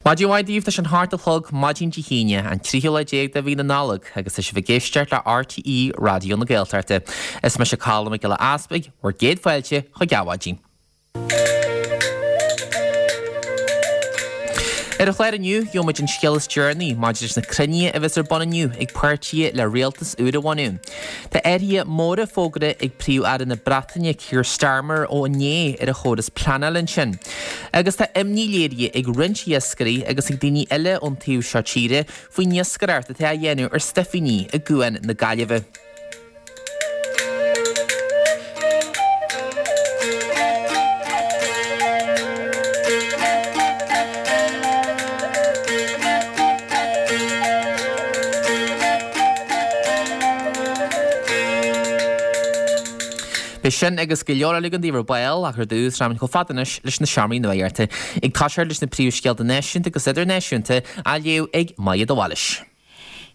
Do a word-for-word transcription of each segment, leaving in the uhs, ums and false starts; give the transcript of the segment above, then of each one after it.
Maidin mhaith daoibh tá sé an hocht a chlog maidin Dé hAoine, an tríú lá déag de mhí na Nollag, agus tá sibh ag éisteacht le RTÉ Raidió na Gaeltachta. Is mise Colm Mac Giolla Easpaig, bhur gcéad fáilte chuig Adhmhaidin. Ar an chlár inniu, gheobhaimid an scéal is deireanaí maidir leis na cruinnithe a bheas ar bun inniu ag páirtithe le rialtas úr a bhunú. Tá athruithe móra fógartha ag Príomh-Aire na Breataine Keir Starmer ó inné ar a chóras pleanála ansin. Agus tá imní léirithe ag roinnt iascairí agus ag daoine eile ón taobh seo tíre faoin iascaireacht atá á dhéanamh ar stuifíní i gCuan na Gaillimhe. Beidh sin agus go leor eile againn daoibh ar ball ach ar dtús rachaimid chomh fada anois leis na seomraí nuachta. Ag toiseacht leis na príomhscéalta náisiúnta agus idirnáisiúnta á léamh ag Maja de Bhailís.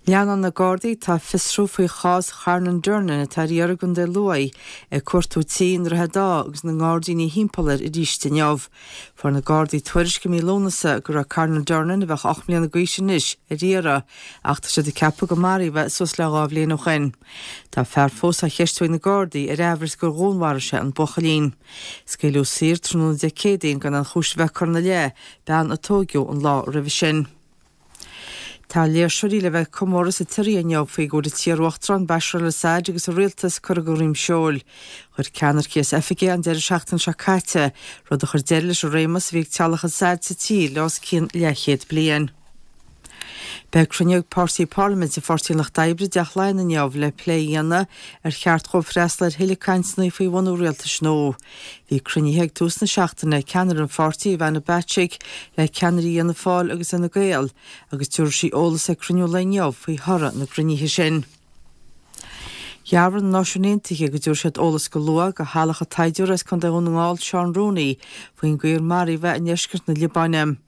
Leanann na Gardaí atá ag fiosrú faoi chás Charnan Durnan atá ar iarraidh i gContae Lú ag cuartú tí i nDroichead Átha agus na ngairdíní thimpeall air arís inniu. Fuair na Gardaí tuairisc i mí Lúnasa go raibh Carnan Durnan, a bheadh ocht mbliana d'aois anois, ar iarraidh ach tá siad ag ceapadh go maraíodh é suas le dhá bhliain ó shin. Tá fear fós á cheistiú ag na Gardaí ar aimhreas gur dhúnmharaigh sé an buachaillín. Scaoileadh saor tráthnóna Dé Céadaoin gan aon chúis a bheith curtha ina leith, bean a tóigeadh an lá roimhe sin. Tá léirseoirí le bheith ag comóradh sa tSiria inniu faoi go bhfuil an t-iar-uachtarán Bashar al-Assad agus a rialtas curtha de dhroim seoil. Chuir ceannaircigh as oifig é an deireadh seachtaine seo caite, rud a chuir deireadh leis an réimeas a bhí ag teaghlach Assad sa tír le os cionn leathchéad bliain. Beidh cruinniú ag páirtí parlaiminte Pháirtí an Lucht Oibre i dTeach Laighean inniu le plé a dhéanamh ar cheart dhóibh freastal ar thuilleadh cainteanna faoi bhunú rialtais nua. Bhí cruinnithe ag tús na seachtaine ag ceannaire an pháirtí, Ivana Bacik, le ceannairí Fhianna Fáil agus Fhine Gael agus tabharfaidh sí eolas ag cruinniú an lae inniu faoi thoradh na gcruinnithe sin. Dhearbhaigh na Náisiúin Aontaithe go dtabharfaidh siad eolas go luath do theaghlach an tsaighdiúra as Contae Dhún na nGall, Seán Rooney, faoin gcaoi ar maraíodh é i ndeisceart na Liobáine.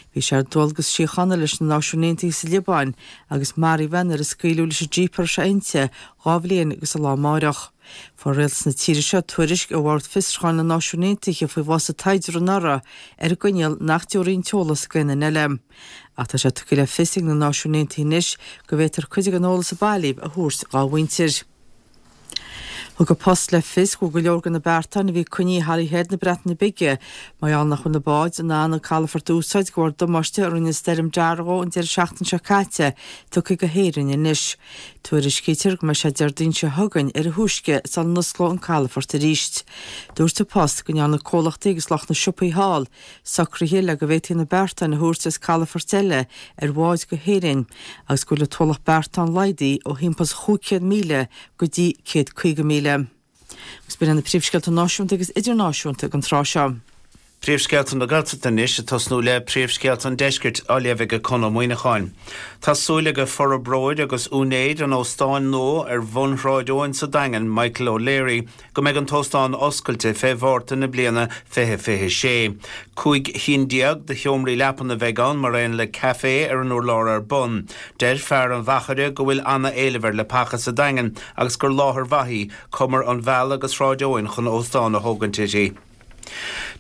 Bhí sé ar dualgas síochána leis na Náisiúin Aontaithe sa Liobáin agus maraíodh é nuair a scaoileadh leis an jíp a raibh sé inti dhá bhliain agus an lá amáireach. Fuair rialtas na tíre seo tuairisc ó Bhord Fiosrúcháin na Náisiún Aontaithe faoi bhás an tsaighdiúra anuraidh ar an gcoinníoll nach dtabharfaí an t-eolas d'aon duine eile. Ach tá sé tugtha le fios ag na Náisiúin Aontaithe anois go bhféadfar cuid den eolas a bailíodh a thabhairt dhá mhuintir. Thug An Post le fios go bhfuil go leor de na beartáin a bhí coinnithe i Holyhead na Breataine Bige mar gheall nach bhfuil na báid in ann an calafort a úsáid de bharr damáiste a rinne Stoirm Darragh an deireadh seachtaine seo caite tugtha go hÉirinn anois. Tuairiscítear go mbeidh sé Déardaoin seo chugainn ar a thúisce sula n-osclóidh an calafort arís. Dúirt An Post go ndearna comhlachtaí agus lucht na siopaí thall socruithe le go bhféadfaí na beartáin a thabhairt as calafoirt eile ar bháid go hÉirinn agus go bhfuil an t-ualach beartán laghdaithe ó thimpeall is chúig chéad míle go dtí céad caoga míle. Agus b'in iad na príomhscéalta náisiúnta agus idirnáisiúnta don tráth seo. Príomhscéalta na Gaeltachta anois, ag tosnú le príomhscéalta an Deiscirt á léamh ag Conn Ó Muíneacháin. Tá súil ag forbróir agus úinéir an óstáin nua ar bhun Shráid Eoin sa Daingean, Michael O'Leary, go mbeidh an t-óstán oscailte fé Mhárta na bliana fiche fiche sé. Cúig chinn déag de sheomraí leapan a bheidh ann mar aon le caifé ar an urlár ar bun. Deir fear an mhachaire go bhfuil ana-éileamh ar leapacha sa Daingean agus gur láthair mhaith í cumar an Mheala agus Shráid Eoin chun óstán a thógaint uirthi.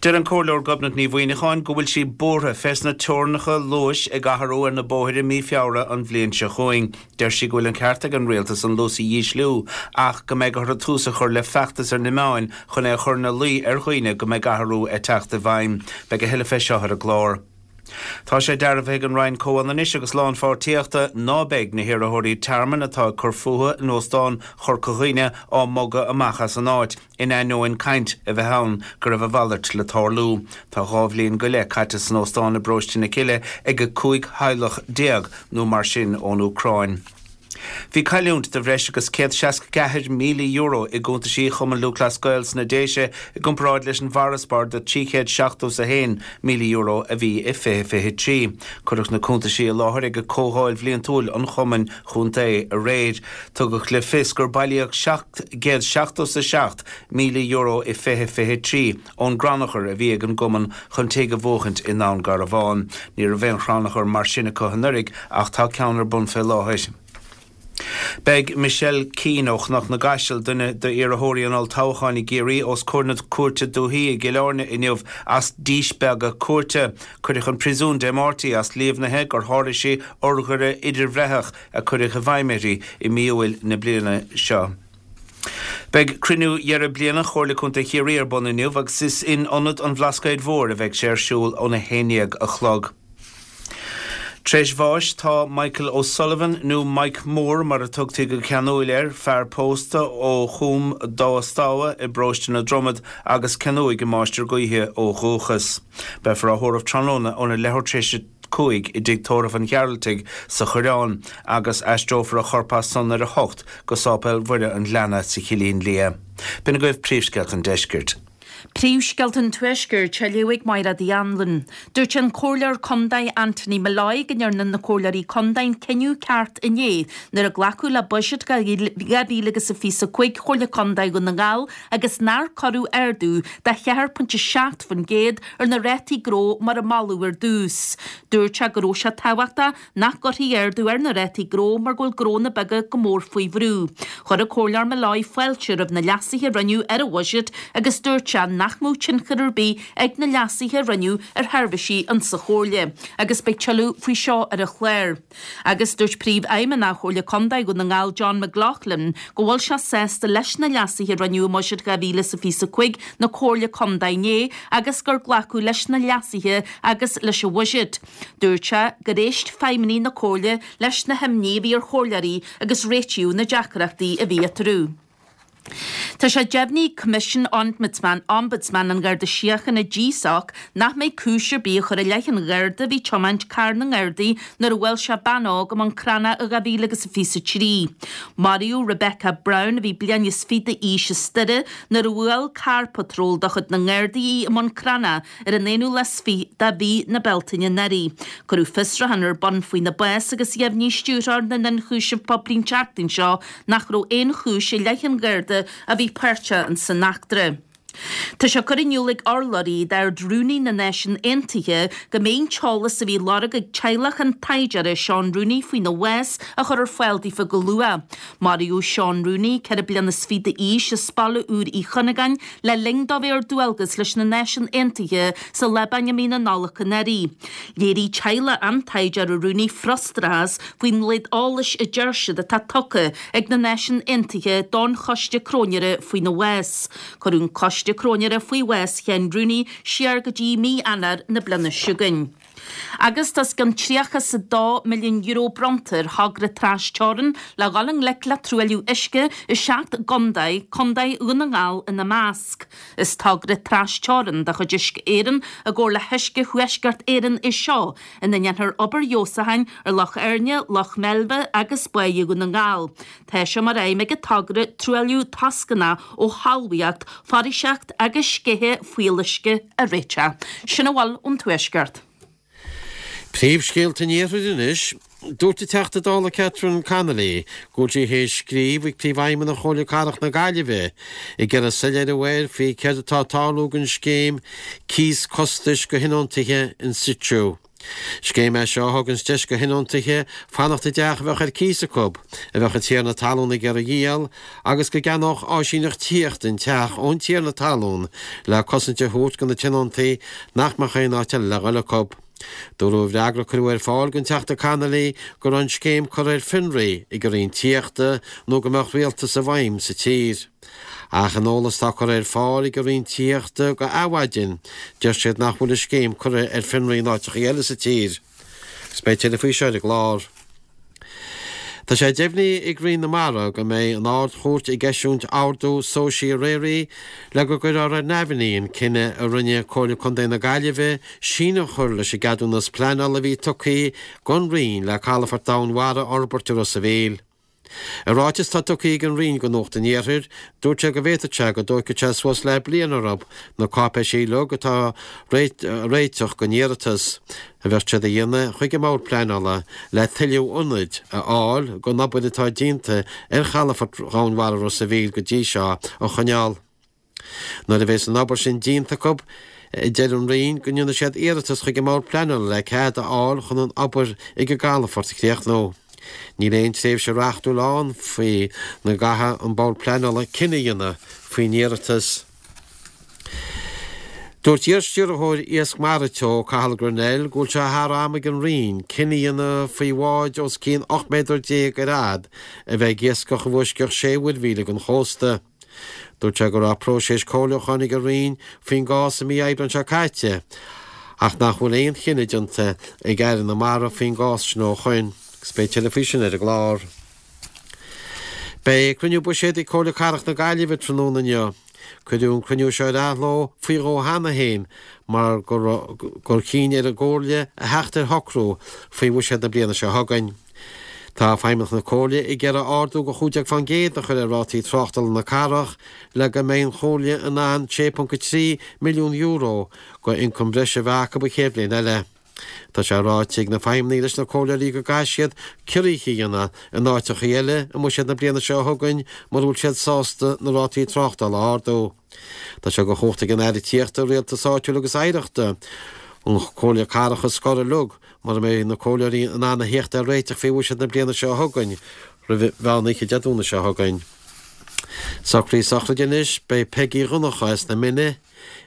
Deir an Comhairleoir Gobnait Ní Mhuineacháin go bhfuil sí buartha fés na teorainneacha luais ag athrú ar na bóithre mí Feabhra an bhliain seo chugainn. Deir sí go bhfuil an ceart ag an Rialtas an luas a dhísliú ach go mbeidh orthu tús a chur le feachtas ar na meáin chun é a chur ina luí ar dhaoine go mbeidh athrú ag teacht i bhfeidhm. Beidh a thuilleadh fé seo ar an gclár. Tá sé dearbhaithe ag an Roinn Comhionannais agus Lánpháirtíochta ná beidh na hiarrthóirí tearmainn atá ag cur fúthu in Óstán Chorca Dhuibhne á mbogadh amach as an áit, in ainneoin caint a bheith ann go raibh a mhalairt le tarlú. Tá dhá bhliain go leith caite san óstán i bParóiste na Cille ag cúig theaghlach déag nó mar sin ón Úcráin. Bhí cailliúint de bhreis agus céad seasca ceathair míle euro i gcuntaisí Chumann Lúthchleas Gael sna Déise i gcomparáid leis an bhfarasbarr de trí chéad seachtó is a haon míle euro a bhí i fiche fiche trí. Cuireadh na cuntaisí i láthair ag comhdháil bhliantúil an chumainn chontae aréir. Tugadh le fios gur bailíodh seacht gcéad seachtó is a seacht míle euro i fiche fiche trí ón gcrannchur a bhí ag an gcumann chun tigh a bhuachaint i nDún Garbhán. Ní raibh aon chrannchur mar sin acu anuraidh ach tá ceann ar bun fé láthair. Beidh Michelle Keane ó Chnoc na gCaiseal duine d'iarrthóirí an olltoghcháin i gCiarraí os comhair na Cúirte Dúiche i gCill Airne inniu as díspeagadh cúirte. Cuireadh chun príosúin Dé Máirt í as líomhnaithe gur sháraigh sí urghaire idirbhreitheach a cuireadh i bhfeidhm uirthi i mí Iúil na bliana seo. Beidh cruinniú dheireadh bliana Chomhairle Contae Chiarraí ar bun inniu agus is in Ionad an Bhlascaoid Mhóir a bheidh sé ar siúl óna haon déag a chlog. Tar éis bháis tá Michael O'Sullivan nó Mike Moore mar a tugtaí go ceanúil air, fear pósta ó Chúm Dumha Stamha i bparóiste na Dromad agus Cionnaith i Máistir Gaoithe ó dhúchas. Beifear á thórramh tráthnóna óna leathuair tar éis a cúig i dtigh tórraimh an Ghearaltaigh sa Choireán agus aistreofar a chorp as san ar a hocht go Sáipéal Mhuire an Ghleanna sa Chillín Liath. B'in agaibh príomhscéalta an deiscirt. Príomhscéalta an Tuaiscirt á léamh ag Máire Uí Anluain. Dúirt an Comhairleoir Contae Anthony Molloy go ndearna na Comhairleoirí Contae an cinneadh ceart inné nuair a glacadh le buiséad dhá mhíle agus a fiche a cúig Chomhairle Contae Dhún na nGall agus nár cuireadh ardú de cheathair pointe seacht faoin gcéad ar na rátaí gnó mar a moladh ar dtús. Dúirt sé go raibh sé tábhachtach nach gcuirfí ardú ar na rátaí gnó mar go bhfuil gnónna beaga go mór faoi bhrú. Chuir an Comhairleoir Molloy fáilte roimh na leasuithe a rinneadh ar an bhuiséad agus dúirt sé nach mbeadh tionchar ar bith ag na leasuithe a rinneadh ar sheirbhísí insa Chomhairle agus beidh tuilleadh faoi seo ar an chlár. Agus dúirt Príomhfheidhmeannach Chomhairle Contae Dhún na nGall John McLaughlin go bhfuil sé sásta leis na leasuithe a rinneadh i mbuiséad dhá mhíle is a fiche a cúig na Comhairle Contae inné agus gur glacadh leis na leasuithe agus leis an bhuiséad. Dúirt sé gur éist feidhmeannaigh na Comhairle leis na himní a bhí ar chomhairleoirí agus réitíodh na deacrachtaí a bhí eatarthu. Tá sé deimhnithe ag Coimisiún Ombudsman Ombudsman an Gharda Síochána GSOC nach mbeidh cúis ar bith á chur i leith an Gharda a bhí ag tiomáint carr na nGardaí nuair a bhuail sé bean óg i mBun Cranncha i dhá mhíle agus a fiche a trí. Maraíodh Rebecca Brown a bhí bliain is fiche d'aois as Doire nuair a bhuail carr patróil de chuid na nGardaí í i mBun Cranncha ar an aonú lá is fiche de mhí na Bealtaine anuraidh. Cuireadh fiosrúchán ar bun faoina bás agus dheimhnigh stiúrthóir na n-ionchúiseamh poiblí an tseachtain seo nach raibh aon chúis i leith an Gharda a bhí páirteach san eachtra. Tá sé curtha in iúl ag urlabhraí d'Ard-Rúnaí na Náisiún Aontaithe go mbeidh an t-eolas a bhí á lorg ag teaghlach an taighdeora Seán Rooney faoina bhás á chur ar fáil daofa go luath. Maraíodh Seán Rooney, ceithre bliana is fiche d'aois, as Baile Úr Uí Chuinneagáin le linn dó bheith ar dualgas leis na Náisiúin Aontaithe sa Liobáin i mí na Nollag anuraidh. Léirigh teaghlach an taighdeora Rooney frustrachas faoin laghad eolais a deir siad atá tugtha ag na Náisiúin Aontaithe don Choiste Cróinéara faoina bhás. Cuireadh an Coiste Cróinéara faoi bhás Sheáin Rooney siar go dtí mí Eanáir na bliana seo chugainn. Agus tá os cionn tríocha is a dó milliún euro bronnta ar thogra trasteorann le dhul i ngleic le truailliú uisce i seacht gcontae, Contae Dhún na nGall ina measc. Is togra trasteorann de chuid Uisce Éireann i gcomhar le hUisce Thuaisceart Éireann é seo, ina ndéanfar obair fheabhsúcháin ar Loch Éirne, Loch Meilbhe agus Báighe Dhún na nGall. Tá sé mar aidhm ag an togra truailliú toscanach ó thalmhaíocht, foraoiseacht agus sceitheadh fuíolluisce a réiteach. Sin a bhfuil ón Tuaisceart. Príomhscéalta an Iarthair anois. Dúirt an Teachta Dála Catherine Connolly go bhfuil sí théis scríobh chuig Príomhfheidhmeannach Chomhairle Cathrach na Gaillimhe ag iarraidh soiléiriú air faoi céard atá ag tarlú don scéim cíos costais do thionóntaithe in situ. Scéim é seo a thuganns deis do thionóntaithe fanacht i dteach a bheadh ar cíos acu, a bheadh an tiarna talún ag iarraidh a dhíol, agus go gceannódh áisíneacht tithíochta an teach ón tiarna talún le cosaint a thabhairt do na tionóntaí nach mbeadh aon áit eile le dhul acu. Dúradh i bhfreagra a cuireadh ar fáil don Teachta Connolly go raibh an scéim curtha ar fionraí ag an Roinn Tithíochta nó go mbeadh rialtas i bhfeidhm sa tír. Ach in eolas atá curtha ar fáil ag an Roinn Tithíochta go Adhmhaidin, deir siad nach bhfuil an scéim curtha ar fionraí in áiteacha eile sa tír. Agus beidh tuilleadh faoi seo ar an gclár. Tá sé deimhnithe ag Roinn na Mara go mbeidh an Ard-Chúirt ag eisiúint ordú certiorari le go gcuirfear ar neamhní an cinneadh a rinne Comhairle Contae na Gaillimhe síneadh a chur leis an gceadúnas pleanála a bhí tugtha don Roinn le calafort domhainmhara a fhorbairt i Ros a' Mhíl. I ráiteas atá tugtha ag an Roinn go Nuacht an Iarthair, dúirt sé go bhféadfadh sé go dtóigfeadh sé suas le bliain orthu na cáipéisí uilig atá a réiteach don iarratas a bheadh siad a dhéanamh chuig an mBord Pleanála le tuilleadh ionaid a fháil don obair atá déanta ar chalafort Dhomhainmhara Ros a' Mhíl go dtí seo a choinneáil. Nuair a bheas an obair sin déanta acu, deir an Roinn go ndéanfaidh siad iarratas chuig an mBord Pleanála le cead a fháil chun an obair ag an gcalafort a chríochnú. Níl aon tréimhse reachtúil ann faoina gcaithfidh an Bord Pleanála cinneadh a dhéanamh faoin iarratas. Dúirt iar-stiúrthóir Iasc Mara Teo, Cathal Grennell, go bhfuil sé thar am ag an Roinn cinneadh a dhéanamh faoi bháid os cionn ocht méadar déag ar fhad a bheith ag iascach i bhfoisceacht sé mhuirmhíle den chósta. Dúirt sé go raibh próiseas comhairliúcháin ag an Roinn faoin gcás i mí Aibreáin seo caite ach nach bhfuil aon chinneadh déanta ag Aire na Mara faoin gcás sin ó shoin. Agus beidh tuilleadh faoi sin ar an gclár. Beidh cruinniú buiséid ag Comhairle Cathrach na Gaillimhe tráthnóna inniu. Cuireadh an cruinniú seo ar athló faoi dhó cheana féin mar gur chinn ar an gComhairle a theacht ar shocrú faoi bhuiséad na bliana seo chugainn. Tá feidhmeannacht na Comhairle ag iarraidh ardú de chúig déag faoin gcéad a chur ar rátaí tráchtála na cathrach le go mbeidh an Chomhairle in ann sé ponc a trí milliún euro de ioncam breise a bheith acu an chéad bhliain eile. Tá sé ráite ag na feidhmeannaigh leis na comhairleoirí go gcaithfidh siad ciorruithe a dhéanamh in áiteacha eile i mbuiséad na bliana seo chugainn mura bhfuil siad sásta na rátaí tráchtála a ardú. Tá sé de chumhacht ag an Aire Tithíochta, Rialtais Áitiúil agus Oidhreachta an Chomhairle Cathrach a scor uilig mura mbeidh na comhairleoirí in ann a theacht ar réiteach faoi bhuiséad na bliana seo chugainn roimh mheán oíche Dé Domhnaigh seo chugainn. Socruithe sochraide anois, beidh Peigí Dhonncha as na Mine,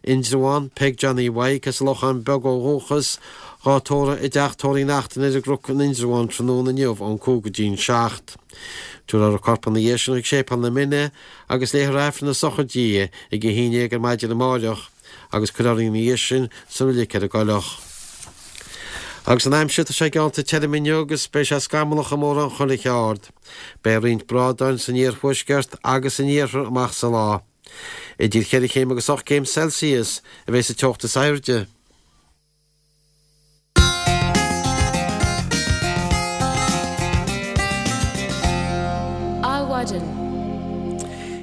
Indreabhán, Peig Johnny Mhaidhc as an Lochán Beag ó dhúchas, dhá tórramh i dTeach Tórraimh Uí Neachtain ar an gCnoc in Indreabhán tráthnóna inniu ón cúig go dtí'n seacht. Tabharfar a corp ina dhiaidh sin chuig Séipéal na Mine agus léifear Aifreann na sochraide di ag a haon déag ar maidin amáireach agus cuirfear í ina dhiaidh sin sa reilig ar an gCoileach. Agus an aimsir, tá sé geallta tirim inniu agus beidh sé scamallach i mórán chuile cheard. Beidh roinnt brádáin san iarthuaisceart agus san iarthar amach sa lá. Idir cheithre chéim agus ocht gcéim Celsius a bheidh sa teocht is airde. Adhmhaidin.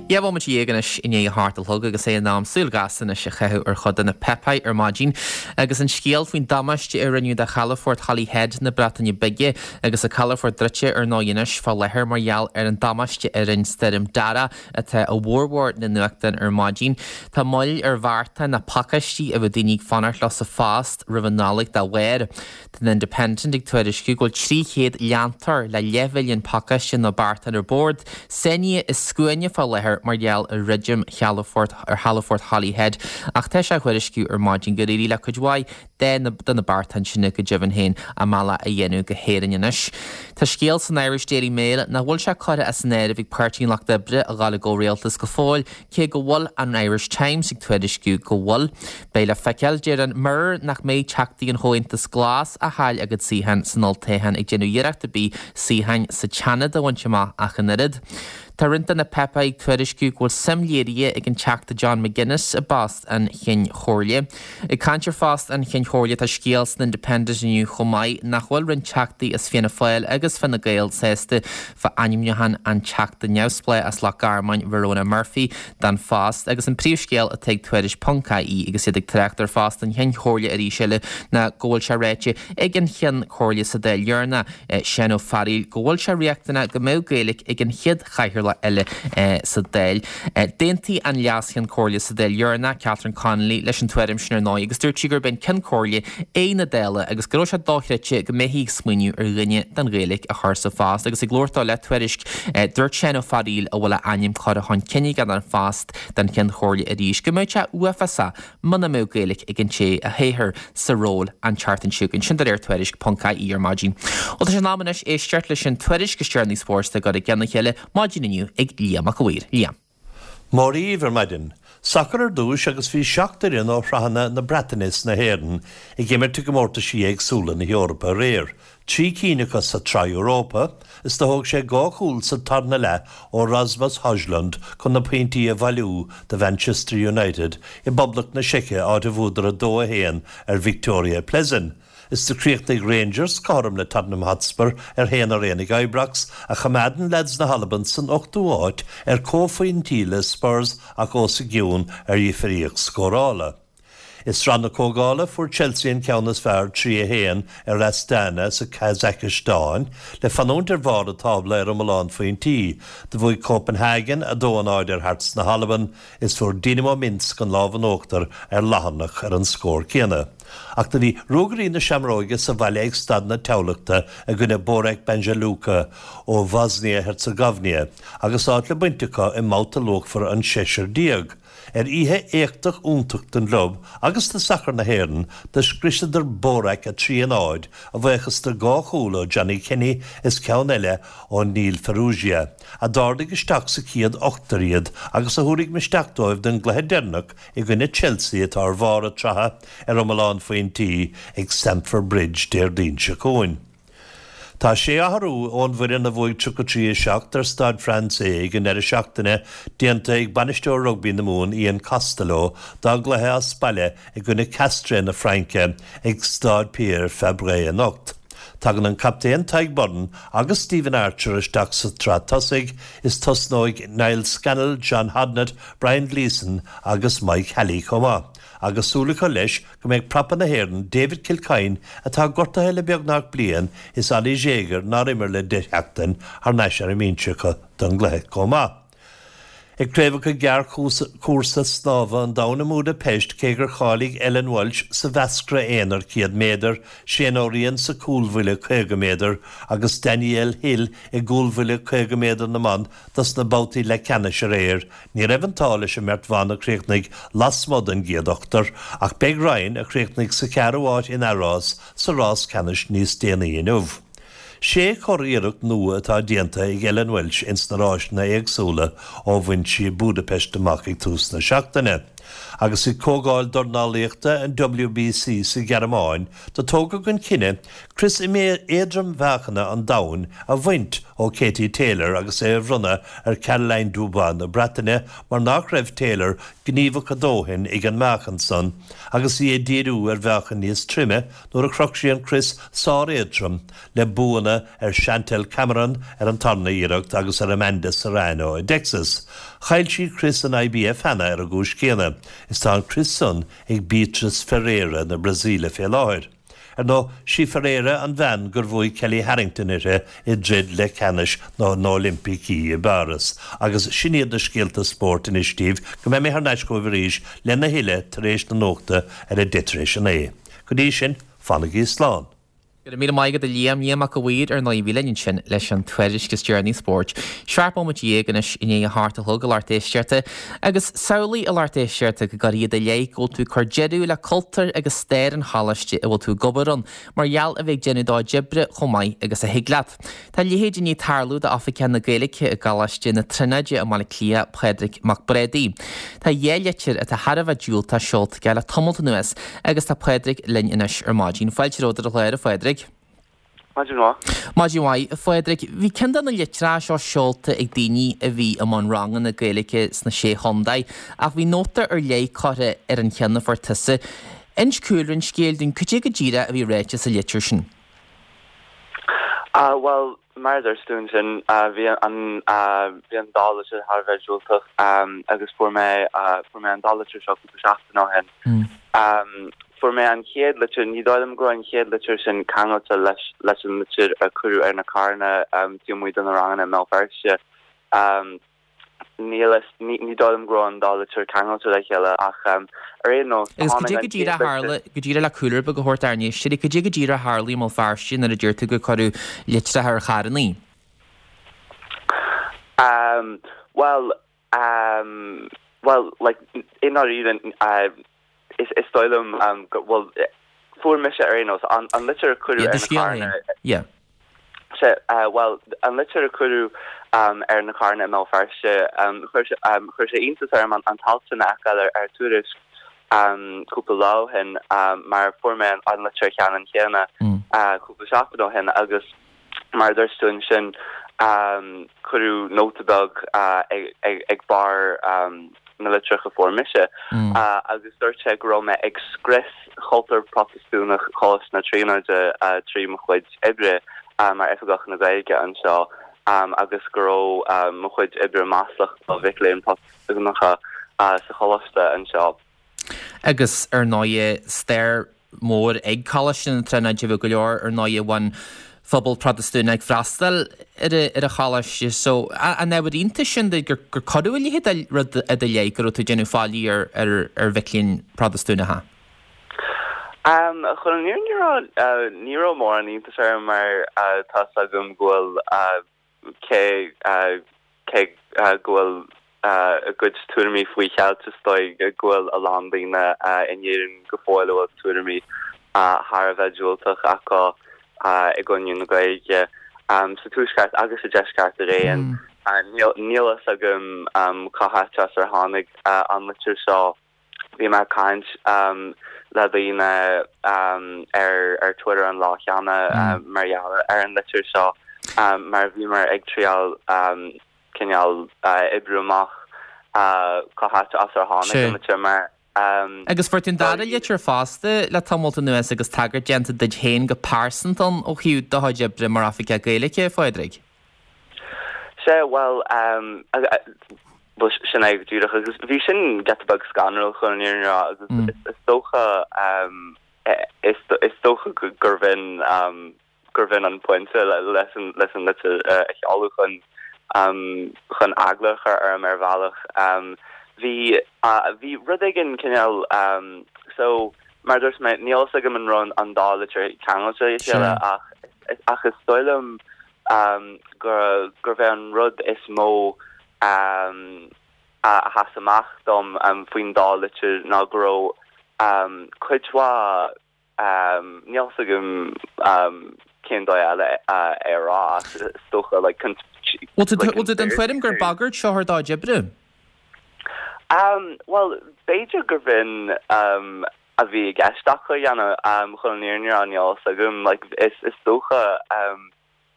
Dhá bhomaite dhéag anois i ndiaidh a hocht a chlog agus é in am súil ghasta anois a chaitheamh ar chuid de na páipéir ar maidin agus an scéal faoin damáiste a rinneadh do chalafort Holyhead na Breataine Bige agus an calafort druidte ar ndóigh anois fá láthair mar gheall ar an damáiste a rinne Stoirm Darragh atá i bhformhór na nuachtán ar maidin. Tá moill ar bheartáin ná pacáistí a bheadh daoine ag fanacht leo sa phost roimh an Nollaig dá bharr. Tá an Independent ag tuairisciú go bhfuil trí chéad leantóir le leathmhilliún pacáiste nó beartán ar bord, sáinnithe i scuaine fá láthair mar gheall ar dhruidim chalafort ar chalafort Holyhead ach tá sé á thuairisciú ar maidin gur éirigh le cuid mhaith de na de na beartáin sin go deimhin féin a mbealach a dhéanamh go hÉirinn anois. Tá scéal san Irish Daily Mail nach bhfuil sé curtha as an áireamh ag Páirtí an Lucht Oibre a dhul i gcomhrialtas go fóill, cé go bhfuil an Irish Times ag tuairisciú go bhfuil. Beidh le feiceáil, deir an Mirror, nach mbeidh teachtaí an Chomhaontais Glas a chaill a gcuid suíochán san olltoghchán ag déanamh iarracht ar bith suíocháin sa tSeanad a bhaint amach ach an oiread. Tá roinnt de na páipéir ag tuairisciú go bhfuil suim léirithe ag an Teachta John McGuinness i bpost an Chinn Chomhairle. Ag caint ar phost an Chinn Chomhairle tá scéal san Independent inniu chomh maith nach bhfuil roinnt Teachtaí as Fianna Fáil agus Fine Gael sásta fá ainmniúchán an Teachta neamhspleách as Loch Garman, Verona Murphy, don phost agus an príomhscéal atá ag Tuairisc ponc ie agus iad ag trácht ar phost an Chinn Chomhairle arís eile ná go bhfuil sé ráite ag an Cheann Comhairle sa Dáil dheireanach, Seán Ó Fearghaíl, go bhfuil sé riachtanach go mbeadh Gaeilge ag an chéad chathaoirleach eile sa Dáil. D'aontaigh an Leas-Cheann Comhairle sa Dáil dheireanach, Catherine Connolly, leis an tuairim sin ar ndóigh agus dúirt sí gurb é an Ceann Comhairle é na Dála agus go raibh sé dochreidte go mbeifí ag smaoineamh ar dhuine den Ghaeilge a chur sa phost. Agus ag labhairt dó le Tuairisc, dúirt Seán Ó Fearghaíl, a bhfuil a ainm curtha chun cinn aige don phost den Cheann Comhairle arís, go mbeadh sé uafásach muna mbeadh Gaeilge ag an té a thoghfar sa ról an tseachtain seo chugainn. Sin de réir Tuairisc ponc ie ar maidin. Bhuel tá sé in am anois éisteacht leis an tuairisc is deireanaí spóirt á gcur i gcionn a chéile maidin inniu ag Liam Mac a' Mhaoir. Liam. Mora dhaoibh ar maidin. Sacar ar dtúis agus bhí seacht fhoireann ó shraitheanna na Breataine is na hÉireann ag imirt i gcomórtaisí éagsúla na hEorpa aréir, trí cinn acu sa tSraith Europa, is do thóg sé dhá chúl sa tarna leath ó Rasmus Hojlund chun na pointí a bhailiú do Mhanchester United i bPoblacht na Seice áit a bhuadar a dó a haon ar Viktoria Plzeň. Is do chríochnaigh Rangers cothrom le Tottenham Hotspur ar haon ar aon ag Ibrox, a choimeádann leaids na hAlban san ochtú háit ar comhphointí le Spurs ach os a gcionn ar dhifríocht scórála. I Sraith na Comhdhála fuair Chelsea an ceann is fearr trí a haon ar Astana sa Chazacaistáin le fanúint ar bharr an tábla ar iomlán phointí. Do bhuaigh Copenhagen a dó a náid ar Hearts na hAlban is fuair Dinamo Minsk an lámh in uachtar ar Latharnach ar an scór céanna. Ach do bhí Ruagairí na Seamróige sa bhaile ag Staid na Thamhlachta i gcoinne Borac Banja Luka ó Bhosnia-Herzegovina agus áit le baint acu i mbabhta luachmhar an seisear déag. Ar oíche éachtach iontach don gclub agus do sacar na hÉireann, do scriosadar Borac a trí a náid, a bhuíochas do dhá chúl ó Johnny Kenny is ceann eile ó Neil Farrugia, a d'ardaigh isteach sa chéad ochtar iad agus a thabharfaidh misneach dóibh don gcluiche deireanach i gcoinne Chelsea atá ar bharr a tsraithe ar iomlán phointí ag Stamford Bridge Déardaoin seo chugainn. Tá sé athrú ón bhfoireann a bhuaigh tríocha trí a seacht ar Stade Français ag an ndeireadh seachtaine déanta ag bainisteoir rugbaí na Mumhan Ian Costello dá gcluiche as baile i gcoinne Castres na Fraince ag Stade Pierre Fabre anocht. Tagann an captaen Tadhg Beirne agus Stephen Archer isteach sa tsraith tosaigh is tosnóidh Niall Scannell, John Hodnett, Brian Gleeson agus Mike Halley chomh maith. Agus súil acu leis go mbeidh prapa na hÉireann David Kilcoyne, atá gortaithe le beagnach bliain, is Oli Jager, nár imir le deich sheachtain, thar n-ais ar an mbinse acu don gcluiche chomh maith. Ag Craobhacha Gearrchúrsa Snámha an Domhain i mBúdaipeist, cé gur cháiligh Ellen Walshe sa mheascra aonair céad méadar, Shane O'Riain sa cúlbhuille caoga méadar agus Danielle Hill i gcúlbhuille caoga méadar na mban dos na babhtaí leathcheannais aréir, ní raibh an t-ádh leis an mbeirt bhan a chríochnaigh lasmuigh den gcéad ochtar, ach beidh Ryan, a chríochnaigh sa cheathrú háit in Arras, sa rás ceannais níos déanaí inniu. Sé churiarracht nua atá déanta ag Ellen Walshe ins na ráiseanna éagsúla ó bhain sí Budapest amach ag tús na seachtaine. Agus ag Comhdháil Dornálaíochta an W B C sa Ghearmáin, do tógadh an cinneadh crios éadrom-mheáchana an domhain a bhaint ó Katie Taylor agus é a bhronnadh ar Caroline Dubois na Breataine mar nach raibh Taylor gníomhach a dóthain ag an meáchan san agus í ag díriú ar mheáchan níos troime nuair a chroch sí an crios sár-éadrom le buanna ar Chantelle Cameron ar an tarna iarracht agus ar Amanda Serrano i dTexas. Chaill sí crios an I B F cheana ar an gcúis chéanna, is tá an crios san ag Beatriz Ferreira na Brasaíle fé láthair. Ar ndóigh, sí Ferreira an bhean gur bhuaigh Kellie Harrington uirthi i dtroid leathcheannais na nOilimpicí i bPáras. Agus sin iad na scéalta spóirt anois daoibh go mbeidh mé thar n-ais chugaibh arís lena thuilleadh tar éis na nuachta ar a deich tar éis a naoi. Go dtí sin, fanaigí slán. Go raibh míle maith agat a Liam. Liam Mac a' Mhaoir ar ndóigh a bhí linn ansin leis an tuairisc is deireanaí spóirt. Seacht bomaite dhéag anois i ndiaidh a hocht a chlog a lucht éisteachta agus samhlaigh a lucht éisteachta go gcuirfí i do leith go bhfuil tú ag cur deireadh le cultúr agus stair an choláiste a bhfuil tú ag obair ann mar gheall a bheith ag déanamh do chuid oibre chomh maith agus a thig leat. Tá a leithéid i ndiaidh tarlú d'Oifigeach na Gaeilge i gColáiste na Tríonóide i mBaile Átha Cliath, Pádraig Mac Brádaigh. Tá dhá litir atá thar a bheith diúltach seolta aige le tamalt anuas agus tá Pádraig linn anois ar maidin. Fáilte romhat ar an chlár, a Phádraig. Maidin mhaith. Maidin mhaith, a Phádraig. Bhí ceann de na litreacha seo seolta ag daoine a bhí i mbun ranganna Gaeilge sna sé chontae, ach bhí nóta ar leith curtha ar an cheann a fuair tusa. Inis cúlra an scéil dúinn, cad é go díreach a bhí ráite sa litir sin. Uh, well, mar a dúirt tú ansin uh, bhí an uh, bhí an dá litir thar a bheith diúltach um, agus fuair mé uh, fuair mé an dá litir seo cúpla seachtain ó shin. Mm. Um, fuair mé an chéad litir, ní dóigh liom go raibh an chéad litir sin ceangailte leis leis an litir a cuireadh ar na carranna um, taobh amuigh de na ranganna i mBéal Feirste. Um, Níl ní ní dóigh liom go raibh an dá litir ceangailte le chéile ach um, ar aon nós Agus cad é go díreach a tharla go díreach le cúlra beag a thabhairt dár n-éisteoirí, cad é go díreach a tharla i mBéal Feirste nuair a deir tú gur cuireadh litreacha ar charranna. Um, well, um, well, like in even uh, is is dóigh liom um, go, well fuair mise ar aon nós an, an litir a cuireadh ar na carranna Yeah. Se, uh, well, an litir a cuireadh um, ar na carranna i mBéal Feirste um, chuir sé um, chuir sé iontas orm an, an t-alt sin a fheiceáil ar, ar Tuairisc um, cúpla lá ó shin um, mar fuair mé an, an litir cheannann chéanna mm. uh, cúpla seachtain ó shin agus mar a dúirt tú ansin um, cuireadh nóta beag uh, ag, ag, ag barr um, na litreach a fuair mise mm. uh, agus dúirt sé go raibh mé ag scrios chultúr Protastúnach Choláiste na Tríonóide uh, trí mo chuid oibre uh, mar oifigeach na Gaeilge anseo um, agus go raibh um, mo chuid oibre maslach do mhic léinn Protastúnacha uh, sa choláiste anseo. Agus ar ndóigh stair mór ag Coláiste na Tríonóide bhí go leor ar ndóigh ón phobal Protastúnach ag freastal ar an choláiste so an ábhar iontais sin duit gur gur cuireadh a leithéid de rud i do leith go raibh tú ag déanamh faillí ar ar ar mhic léinn Protastúnacha? Um, chun an fhírinne a rá uh, ní raibh mórán iontas orm mar uh, tá 's agam go bhfuil uh, cé uh, cé uh, go bhfuil uh, a gcuid tuairimí faoi cheilt is dóigh go bhfuil a lán daoine uh, in Éirinn go fóill a bhfuil tuairimí uh, thar a bheith diúltach acu uh, i gcoinne na Gaeilge um, sa tuaisceart agus sa deisceart araon. Mm. Uh, níl níl a fhios agam um, cá háit as ar tháinig uh, an litir seo bhí mé ag caint um, le daoine um, ar ar Twitter an lá cheana mm. um, mar gheall ar an litir seo um, mar bhíomar ag triail um, cineál uh, oibriú amach uh, cá háit as ar tháinig an litir mar um, Agus fuair tú an dara litir fosta le tamall anuas agus tagairt déanta duit féin go pearsanta ó thaobh do chuid oibre mar oifigeach Gaeilge, a Phádraig. Sé well um, Bhuel sin é go díreach agus bhí sin giota beag scanrúil chun an fhírinne a rá agus mm. is dócha um, is is dócha gurbh in um, gurbh in an pointe leis an leis an litir uh, a sheoladh chun um, chun eagla a chur orm ar bhealach. Um, bhí uh, bhí rud éigin cineál um, so mar dúirt mé níl a fhios agam an raibh an dá litir ceangailte le chéile ach ach is dóigh liom um, gur gurbh é an rud is mó um, a sheas amach dom um, faoin dá litir ná go raibh um, cuid mhaith um, níl a fhios agam um, cén dóigh eile uh, é a rá is dócha like, Bhfuil tú den tuairim gur bagairt seo ar do chuid oibre? Um, well, b'fhéidir gurbh in um, a bhí i gceist acu a dhéanamh um, chun an fhírinne a rá níl a fhios agam like, is, is dócha um,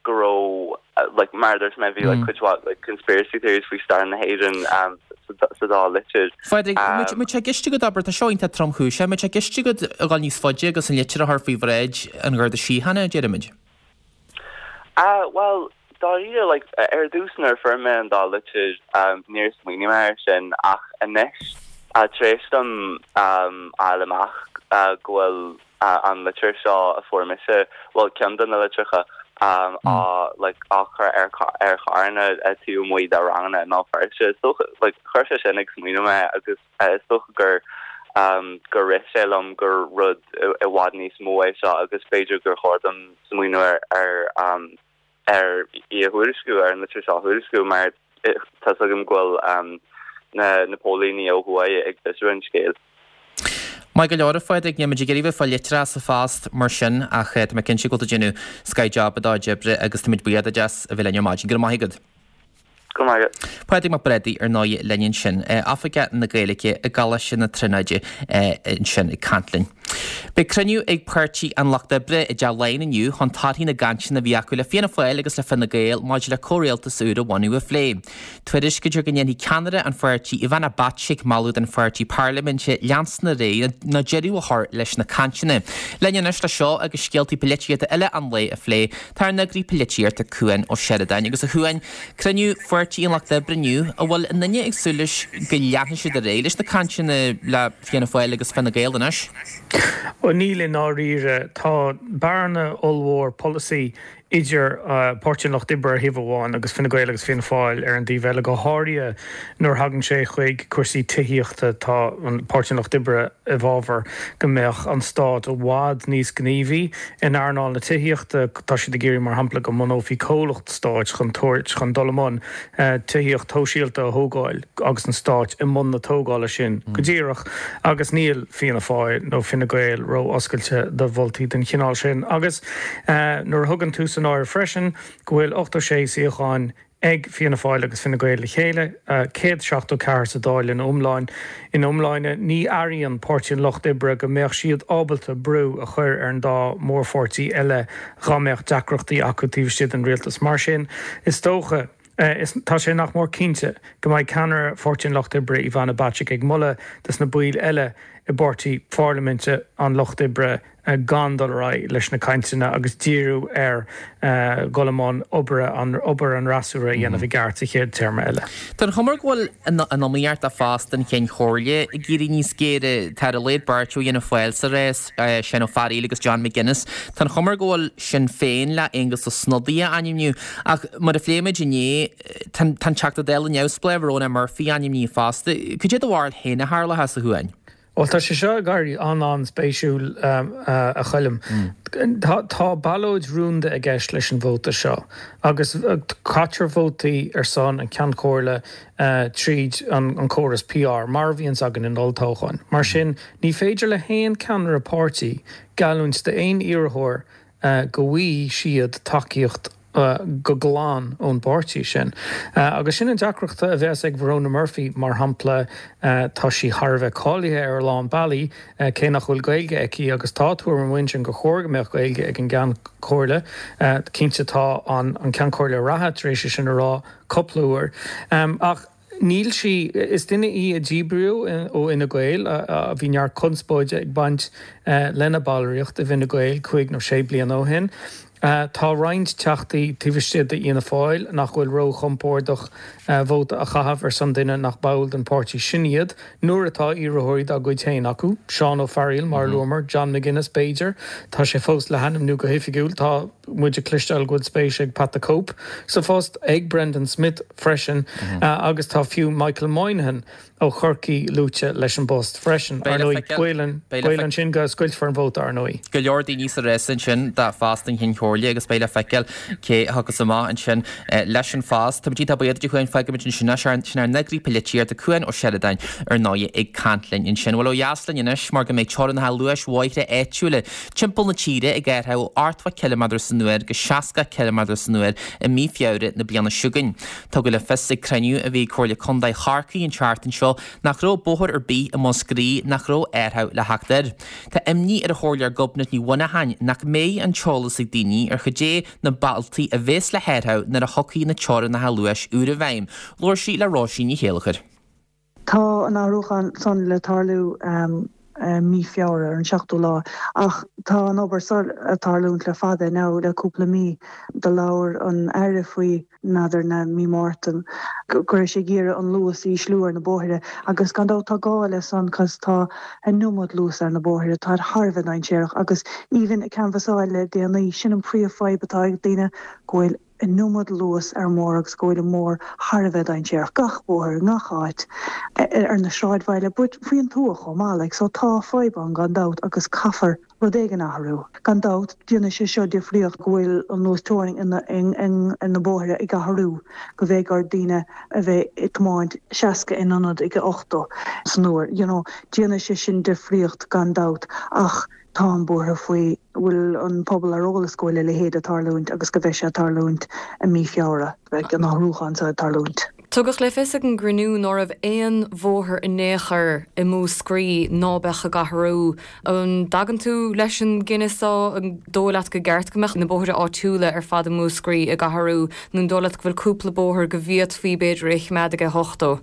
go raibh uh, like, mar dúirt mé bhí like, mm. cuid mhaith like, conspiracy theories faoi stair na hÉireann um, sa dá litir. Phádraig, um, tá sé i gceist agat abair tá seo iontach tromchúiseach, tá sé i gceist agat a dhul níos faide agus an litir a chur faoi bhráid an Gharda Síochána deirimid? Uh, well, dáiríre like, ar dtús nuair a fuair mé an dá litir um, níor smaoinigh mé air sin ach anois uh, tar éis dom um, fháil amach uh, go bhfuil uh, an litir seo a fuair mise well ceann de na litreacha um, mm. á like, á chur ar ar charranna taobh amuigh de ranganna i mBéal Feirste so like, chuir sé sin ag smaoineamh mé agus uh, is dócha gur um, gur rith sé liom gur rud i bhfad níos mó é seo agus b'fhéidir gur chóir dom smaoineamh ar ar um, ar í a thuairisciú ar an litir seo a thuairisciú mar tá a fhios agam go bhfuil um, na na póilíní ó thuaidh ag fiosrú an scéil. Maith go leor a Phádraig, níl muid ag iarraidh bheith ag fáil litreacha sa phost mar sin ach tá mé cinnte go bhfuil tú ag déanamh scoth-job i do chuid oibre agus táimid buíoch duit as a bheith linn ar maidin. Go raibh maith agat. Go raibh maith agat. Pádraig Mac Brádaigh ar ndóigh linn ansin, Oifigeach na Gaeilge i gColáiste na Tríonóide ansin ag caint linn. Beidh cruinniú ag Páirtí an Lucht Oibre i dTeach Laighean inniu chun torthaí na gcainteanna a bhí acu le Fianna Fáil agus le Fine Gael maidir le comhrialtas úr a bhunú a phlé. Tuairiscítear go ndéanfaidh ceannaire an pháirtí Ivana Bacik moladh don pháirtí parlaiminte leanstan ar aghaidh nó deireadh a chur leis na cainteanna. Linn anois le seo agus scéaltaí polaitíochta eile an lae a phlé, tá ár n-eagraí polaitíochta Cuan Ó Seireadáin agus a Chuain, cruinniú Pháirtí an Lucht Oibre inniu, an bhfuil aon duine ag súil leis go leanfaidh siad ar aghaidh leis na cainteanna le Fianna Fáil agus Fine Gael anois? Ó níl i ndáiríre, tá bearna ollmhór polasaí idir Páirtí an Lucht Oibre ar thaobh amháin agus Fine Gael agus Fianna Fáil ar an dtaobh eile, go háirithe nuair a thagann sé chuig cúrsaí tithíochta tá an Páirtí an Lucht Oibre i bhfabhar go mbeadh an stát i bhfad níos gníomhaí in earnáil na tithíochta. Tá siad ag iarraidh mar shampla go mbunófaí comhlacht stáit chun tabhairt chun dul i mbun tithíocht shóisialta a thógáil agus an stát i mbun na tógála sin go díreach agus níl Fianna Fáil nó Fine Gael ró-oscailte do mholtaí den chineál sin. Agus nuair a thugann tú san áireamh freisin go bhfuil ochtó sé suíochán ag Fianna Fáil agus Fine Gael le chéile, céad seachtó ceathair sa Dáil ina iomlán. Ina iomláine, ní airíonn Páirtí an Lucht Oibre go mbeadh siad ábalta brú a chur ar an dá mhórpháirtí eile dá mbeadh deacrachtaí acu taobh istigh den rialtas. Mar sin, is dócha, is tá sé nach mór cinnte go mbeidh ceannaire Pháirtí an Lucht Oibre Ivana Bacik ag moladh dos na baill eile i bpáirtí pharlaiminte an Lucht Oibre gan dul ar aghaidh leis na cainteanna agus díriú ar dhul i mbun obair an obair an fhreasúra a dhéanamh i gceart sa chéad téarma eile. Tá an chuma go bhfuil an iomaíocht do phost an Chinn Chomhairle ag éirí níos géire. Tá ar a laghad beirt ó Fhianna Fáil sa rás, Seán Ó Fearghaíl agus John McGuinness. Tá an chuma go bhfuil Sinn Féin le Aengus Ó Snodaigh a ainmniú ach mar a phléigh muid inné, tá an Teachta Dála neamhspleách Verona Murphy ainmnithe fosta. Cad é do bharúil féin a tharlóchas, a Chuain? Bhuel, tá sé seo ag éirí an-an-spéisiúil, a Choilm. Tá ballóid rúnda i gceist leis an vóta seo agus caitear vótaí ar son an Cheann Comhairle tríd an córas P R, mar a bhíonns againn in olltoghcháin. Mar sin, ní féidir le haon ceannaire páirtí geallúint d'aon iarrthóir go bhfaighidh siad tacaíocht go glan ón bpáirtí sin. Agus sin an deacracht a bheas ag Verona Murphy, mar shampla. Tá sí thar a bheith cáilithe ar a lán bealaí, cé nach bhfuil Gaeilge aici, agus tá tuairim ansin gur chóir go mbeadh Gaeilge ag an gCeann Comhairle. Cinnte, tá an Ceann Comhairle reatha tar éis é sin a rá cúpla uair. Ach níl sí, is duine í a díbríodh ó Fhine Gael, a bhí neart conspóide ag baint lena ballraíocht i bhFine Gael cúig nó sé bliana ó shin. Tá roinnt teachtaí taobh istigh d'Fhianna Fáil nach bhfuil róchompordach vóta a chaitheamh ar son duine nach ball den pháirtí sin iad, nuair atá iarrthóirí dá gcuid féin acu, Seán Ó Fearghaíl, mar a luamar, John McGuinness b'fhéidir, tá sé fós le hainmniú go hoifigiúil. Tá muid ag cloisteáil go bhfuil spéis ag Pat the Cope sa phost, ag Brendan Smith freisin, agus tá fiú Michael Moynihan ó Chorcaigh luaite leis an bpost freisin. Ar ndóigh, baol ansin go scoiltfear an vóta, ar ndóigh. Go leor daoine sa rás ansin do phost an Chinn Chomhairle agus beidh le feiceáil cé a thiocfas amach ansin leis an phost. Tá muid iontach buíoch duit, a Chuain, fágfaimid ansin é. Sin ár n-eagraí polaitíochta Cuan Ó Seireadáin ar ndóigh ag caint linn ansin. Bhuel, ó dheas linn anois mar go mbeidh teorainneacha luais bhóithre áitiúla timpeall na tíre ag athrú ó ochtó ciliméadar san uair go seasca ciliméadar san uair i mí Feabhra na bliana seo chugainn. Tugadh le fios ag cruinniú a bhí ag Comhairle Contae Chorcaí an tseachtain seo nach raibh bóthar ar bith i Múscraí nach raibh athrú le theacht air. Tá imní ar an Chomhairleoir Gobnait Ní Mhuineacháin nach mbeidh an t-eolas ag daoine ar cad é na bealtaí a bheas le hathrú nuair a thiocfaidh na teorainneacha luais úra i bhfeidhm. Labhair sí le Róisín Ní Chéilleachair. Tá an athrúchán san le tarlú mí Feabhra, ar an seachtú lá, ach tá an obair seo ag tarlúint le fada now, le cúpla mí. Do labhair an Aire faoi n'fheadar na mí Márta go raibh sé ag iarraidh an luas a ísliú ar na bóithre agus gan dabht tá gá le san cos tá an iomad luas ar na bóithre, táid thar a bheith dainséarach agus even ag canbhasáil le déanaí, sin an príomh-fhadhb atá ag daoine, go bhfuil an iomad luas ar an mbóthar agus go bhfuil an bóthar thar a bheith dainséarach, gach bóthar, i ngach áit, ar na sráidbhaile but faoin tuath chomh maith like so tá fadhb ann gan dabht agus caithfear rud éigin a athrú. Gan dabht déanfaidh sé seo difríocht go bhfuil an luas teorainn ar na bóithre ag athrú, go mbeidh ar daoine a bheith ag tiomáint seasca in ionad ag a ochtó san uair you know déanfaidh sé sin difríocht gan dabht ach táim buartha faoi bhfuil an pobal ar eolas go bhfuil a leithéid ag tarlúint agus go bheidh sé ag tarlúint i mí Feabhra, beidh an athrúchán seo ag tarlúint. Tugadh le fios ag an gcruinniú ná raibh aon bhóthar in aon chor i Múscraí ná beadh ag athrú. An dtagann tú leis an gcinneadh so? An dóigh leat gur ceart go mbeadh na bóithre áitiúla ar fad i Múscraí ag athrú nó an dóigh leat go bhfuil cúpla bóthar go bhféadfaí b'fhéidir é a choimeád ag a hochtó?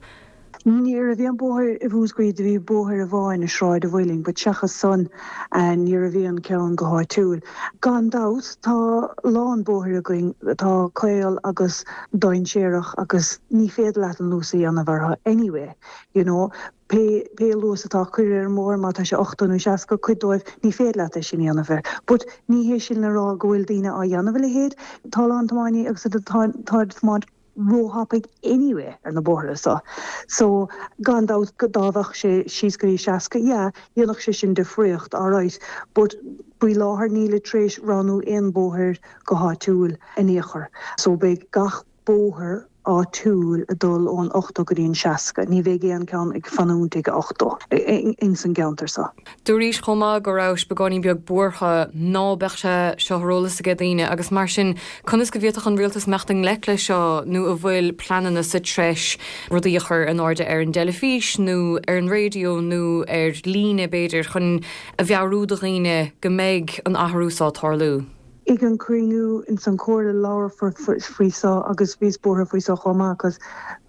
Ní raibh aon bóthar i Mhúscraí, do bhí bóthar amháin i Sráid a' Mhuilinn but seachas san ní raibh aon ceann go háitiúil. Gan dabht tá a lán bóithre againn atá caol agus dainséarach agus ní féidir leat an luas a dhéanamh orthu anyway, you know. Pé pé luas atá curtha ar an mbóthar, má tá sé ochtó nó seasca, cuid dóibh ní féidir leat é sin a dhéanamh air. But ní hé sin le rá go bhfuil daoine á dhéanamh a leithéid. Tá a lán tiománaí agus atá ag tiomáint róthapaidh anyway ar na bóithre so. So gan dabht go dá mbeadh sé síos go dtí seasca, yeah, dhéanfadh sé sin difríocht, alright, but faoi láthair nílid tar éis roghnú aon bóthar go háitiúil in aon chor. So beidh gach bóthar áitiúil ag dul ón ochtó go dtí an seasca, ní bheidh aon ceann ag fanúint ag a ochtó ins an gceantar so. Dúraís chomh maith go rabhais beagáinín beag buartha ná beadh sé seo ar eolas ag daoine agus mar sin conas go bhféadfadh an rialtas imeacht i ngleic leis seo nó an bhfuil pleananna sa treis rudaí a chur in airde ar an dteilifís nó ar an raidió nó ar líne b'fhéidir chun a mheabhrú do dhaoine go mbeidh an athrú seo ag tarlú. Ag an cruinniú ins an Comhairle labharfar faoi seo agus bhíos buartha faoi seo chomh maith cos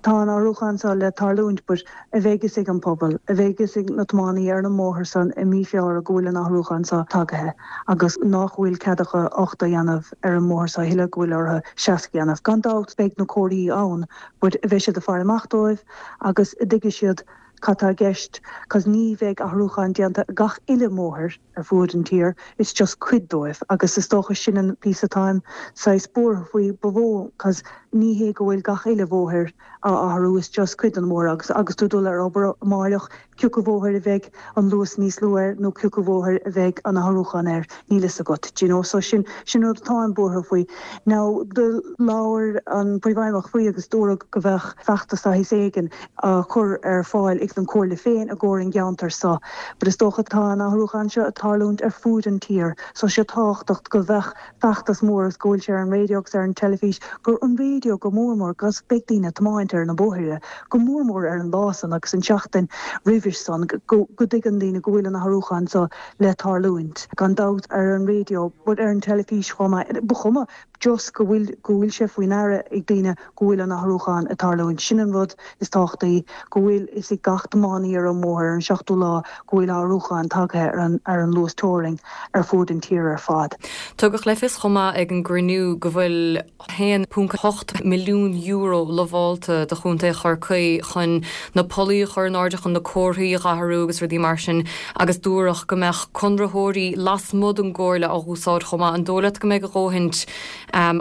tá an athrúchán seo le tarlúint but a bheidh fhios ag an pobal, a bheidh fhios ag na tiománaí ar na mbóthar san i mí Feabhra go bhfuil an athrúchán seo tagaithe agus nach bhfuil cead acu ochtó a dhéanamh ar an mbóthar seo a thuilleadh go bhfuil orthu seasca a dhéanamh. Gan dabht beidh na comharthaí ann but a bheidh siad ag faire amach dóibh agus a dtuigfidh siad cad tá i gceist cos ní bheidh athrúchán déanta gach uile mbóthar ar fuaid an tír, it's just cuid dóibh agus is dócha sin an píosa atáim saghas buartha faoi ba mhó cos ní hé go bhfuil gach uile bhóthar á athrú it's just cuid den bhóthar agus agus tú dul ar obair amáireach cioca bhóthar a bheidh an luas níos lú air nó cioca bhóthar a bheidh an athrúchán air níl fhios agat do you know so sin sin rud atáim buartha faoi. Now do labhair an Príomhfheidhmeannach faoi agus dúradh go bheadh feachtas saghas éigin á chur ar fáil ag an Comhairle féin i gcomhair an gceantar so but is dócha tá an athrúchán seo ag tarlúint ar fuaid an tír so sé tábhachtach go bheadh feachtas mór agus go bhfuil sé ar an raidió agus ar an teilifís gur an raidió go mór mór 'cause beidh daoine ag tiomáint ar na bóithre go mór mór ar an lá san agus an tseachtain roimhis san go go dtuigeann daoine go bhfuil an athrúchán so le tarlúint gan dabht ar an raidió but ar an teilifís chomh maith ba chuma just go bhfuil go bhfuil sé faoi ndeara ag daoine go bhfuil an athrúchán ag tarlúint. Sin an rud is tábhachtaí, go bhfuil fhios ag gach tiománaí ar an mbóthar ar an seachtú lá go bhfuil athrúchán tagaithe ar an ar an luas teorainn ar fuaid an tír ar fad. Tugadh le fios chomh maith ag an gcruinniú go bhfuil haon ponc hocht milliún euro lamhálta do Chontae Chorcaí chun na pollaí a chur in airde chun na comharthaí a athrú agus rudaí mar sin agus dúradh go mbeadh conraitheoirí lasmuigh den gComhairle á úsáid chomh maith. An dóigh leat go mbeidh a dhóthain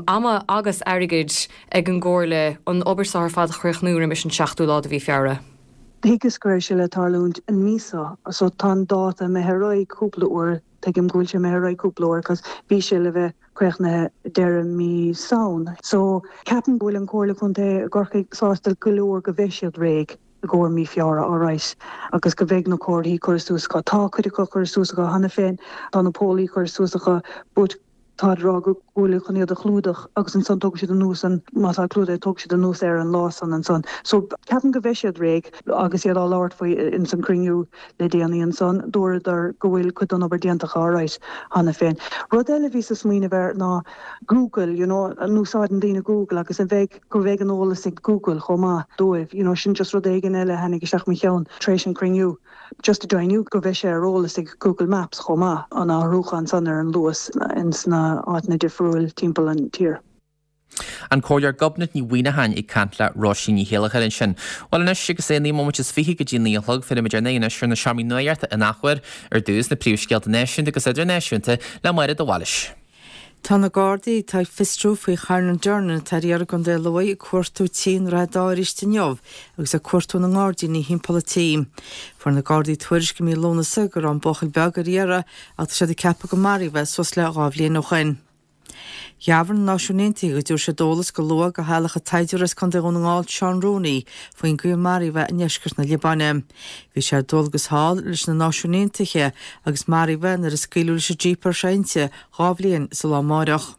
ama agus airgid ag an gComhairle an obair seo ar fad a chríochnú roimis an seachtú lá de mhí Feabhra? Thuigeas go raibh sé le tarlúint an mí seo, so tá an dáta imithe ar aghaidh cúpla uair, tuigim go bhfuil sé imithe ar aghaidh cúpla uair cos bhí sé le bheith críochnaithe deireadh mí Samhain. So ceapaim go bhfuil an Comhairle Contae i gCorcaigh sásta go leor go bheidh siad réidh i gcomhair mí Feabhra alright agus go bheidh na comharthaí curtha suas acu. Tá cuid acu curtha suas acu cheana féin, tá na pollaí curtha suas acu but tá ag rá go bhfuil chun iad a chlúdach agus ansan tógfaidh siad anuas an má tá clúdaithe tógfaidh siad anuas ar an lá san ansan. So ceapaim go bheidh siad réidh agus iad á labhairt faoi ins an cruinniú le déanaí ansan dúradar go bhfuil cuid den obair déanta acu alright cheana féin. Rud eile a bhíos ag smaoineamh air ná Google, you know, an úsáideann daoine Google agus an bheidh go bheidh an eolas ag Google chomh maith dóibh, you know, sin just rud éigin eile a tháinig isteach mo cheann tar éis an cruinniú. Just a deimhniú go bheidh sé ar eolas ag Google Maps chomh maith, an athrúchán san ar an luas ins na áiteanna difriúil timpeall an tír. An Comhairleoir Gobnait Ní Mhuineacháin ag caint le Róisín Ní Chéilleachair ansin. Bhuel anois agus é naoi móimint is fiche go dtí naoi a chlog, féachfaimid ar ndóigh anois ar na seomraí nuachta in athuair ar dtús na príomhscéalta náisiúnta agus idirnáisiúnta le Máire de Bhailís. Tá na Gardaí atá ag fiosrú faoi Charnan Durnan atá ar iarraidh i gContae Lú ag cuartú tí i nDroichead Átha arís inniu agus ag cuartú na ngairdíní thimpeall an tí. Fuair na Gardaí tuairisc i mí Lúnasa go raibh an buachaill beag ar iarraidh ach tá siad ag ceapadh go maraíodh é suas le dhá bhliain ó shoin. Dhearbhaigh na Náisiúin Aontaithe go dtabharfaidh siad eolas go luath do theaghlach an tsaighdiúra as Contae Dhún na nGall Seán Rooney faoin gcaoi ar maraíodh é i ndeisceart na Liobáine. Bhí sé ar dualgas thall leis na Náisiúin Aontaithe agus maraíodh é nuair a scaoileadh leis an jíp a raibh sé inti dhá bhliain is an lá amáireach.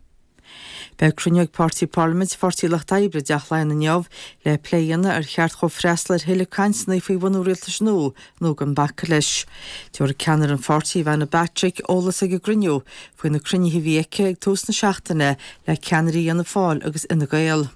Beidh cruinniú ag Páirtí Parlaiminte Pháirtí Lucht Oibre i dTeach Laighean inniu le plé a dhéanamh ar cheart dhóibh freastal ar thuilleadh cainteanna faoi bhunú rialtais nua nó gan bacadh leis. Tabharfaidh ceannaire an pháirtí, Ivana Bacik, eolas ag an gcruinniú faoi na cruinnithe a bhí aici ag tús na seachtaine le ceannairí Fhianna Fáil agus Fhine Gael.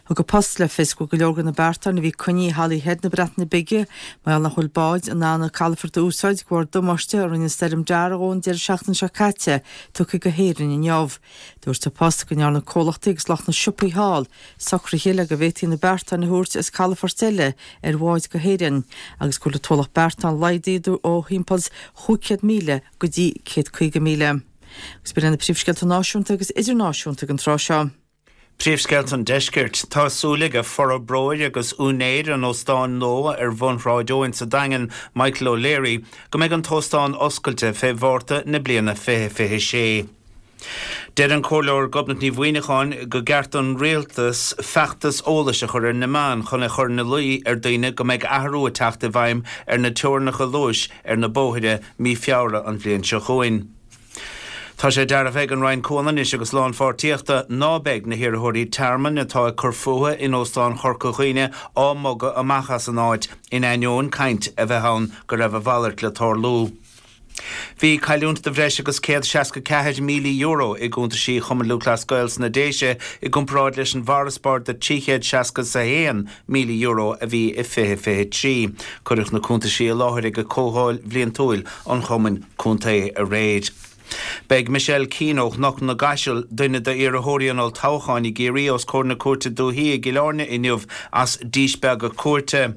Thug An Post le fios go bhfuil go leor de na beartáin a bhí coinnithe i Holyhead na Breataine Bige mar gheall nach bhfuil báid in ann an calafort a úsáid de bharr damáiste a rinne Stoirm Darragh ón deireadh seachtaine seo caite tugtha go hÉirinn inniu. Dúirt An Post go ndearna comhlachtaí agus lucht na siopaí thall socruithe le go bhféadfaí na beartáin a thabhairt as calafoirt eile ar bháid go hÉirinn agus go bhfuil an t-ualach beartán laghdaithe ó thimpeall chúig chéad míle go dtí céad caoga míle. Agus b'in na príomhscéalta náisiúnta agus idirnáisiúnta ag an tráth seo. Príomhscéalta an Deiscirt. Tá súil ag forbróir agus úinéir an óstáin nua ar bhun Shráid Eoin sa Daingean, Michael O'Leary, go mbeidh an t-óstán oscailte fé Mhárta na bliana fiche fiche sé. Deir an Comhairleoir Gobnait Ní Mhuineacháin go gceart don rialtas feachtas eolais a chur ar na meáin chun a chur ina luí ar daoine go mbeidh athrú ag teacht i bhfeidhm ar na teorainneacha luais ar na bóithre mí Feabhra an bhliain seo chugainn. Tá sé dearbhaithe ag an Roinn Comhionannais agus Lánpháirtíochta ná beidh na hiarrthóirí tearmainn atá ag cur fúthu in Óstán Chorca Dhuibhne á mbogadh amach as an áit, in ainneoin caint a bheith ann go raibh a mhalairt le tarlú. Bhí cailliúint de bhreis agus céad seasca ceathair míle euro i gcuntaisí Chumann Lúthchleas Gael sna Déise i gcomparáid leis an bhfarasbarr de trí chéad seasca is a haon míle euro a bhí i fiche fiche trí. Cuireadh na cuntaisí i láthair ag comhdháil bhliantúil an chumainn contae aréir. Beidh Michelle Keane ó Chnoc na gCaiseal, duine d'iarrthóirí an olltoghcháin i gCiarraí, os comhair na Cúirte Dúichí i gCill Airne inniu as díspeagadh cúirte.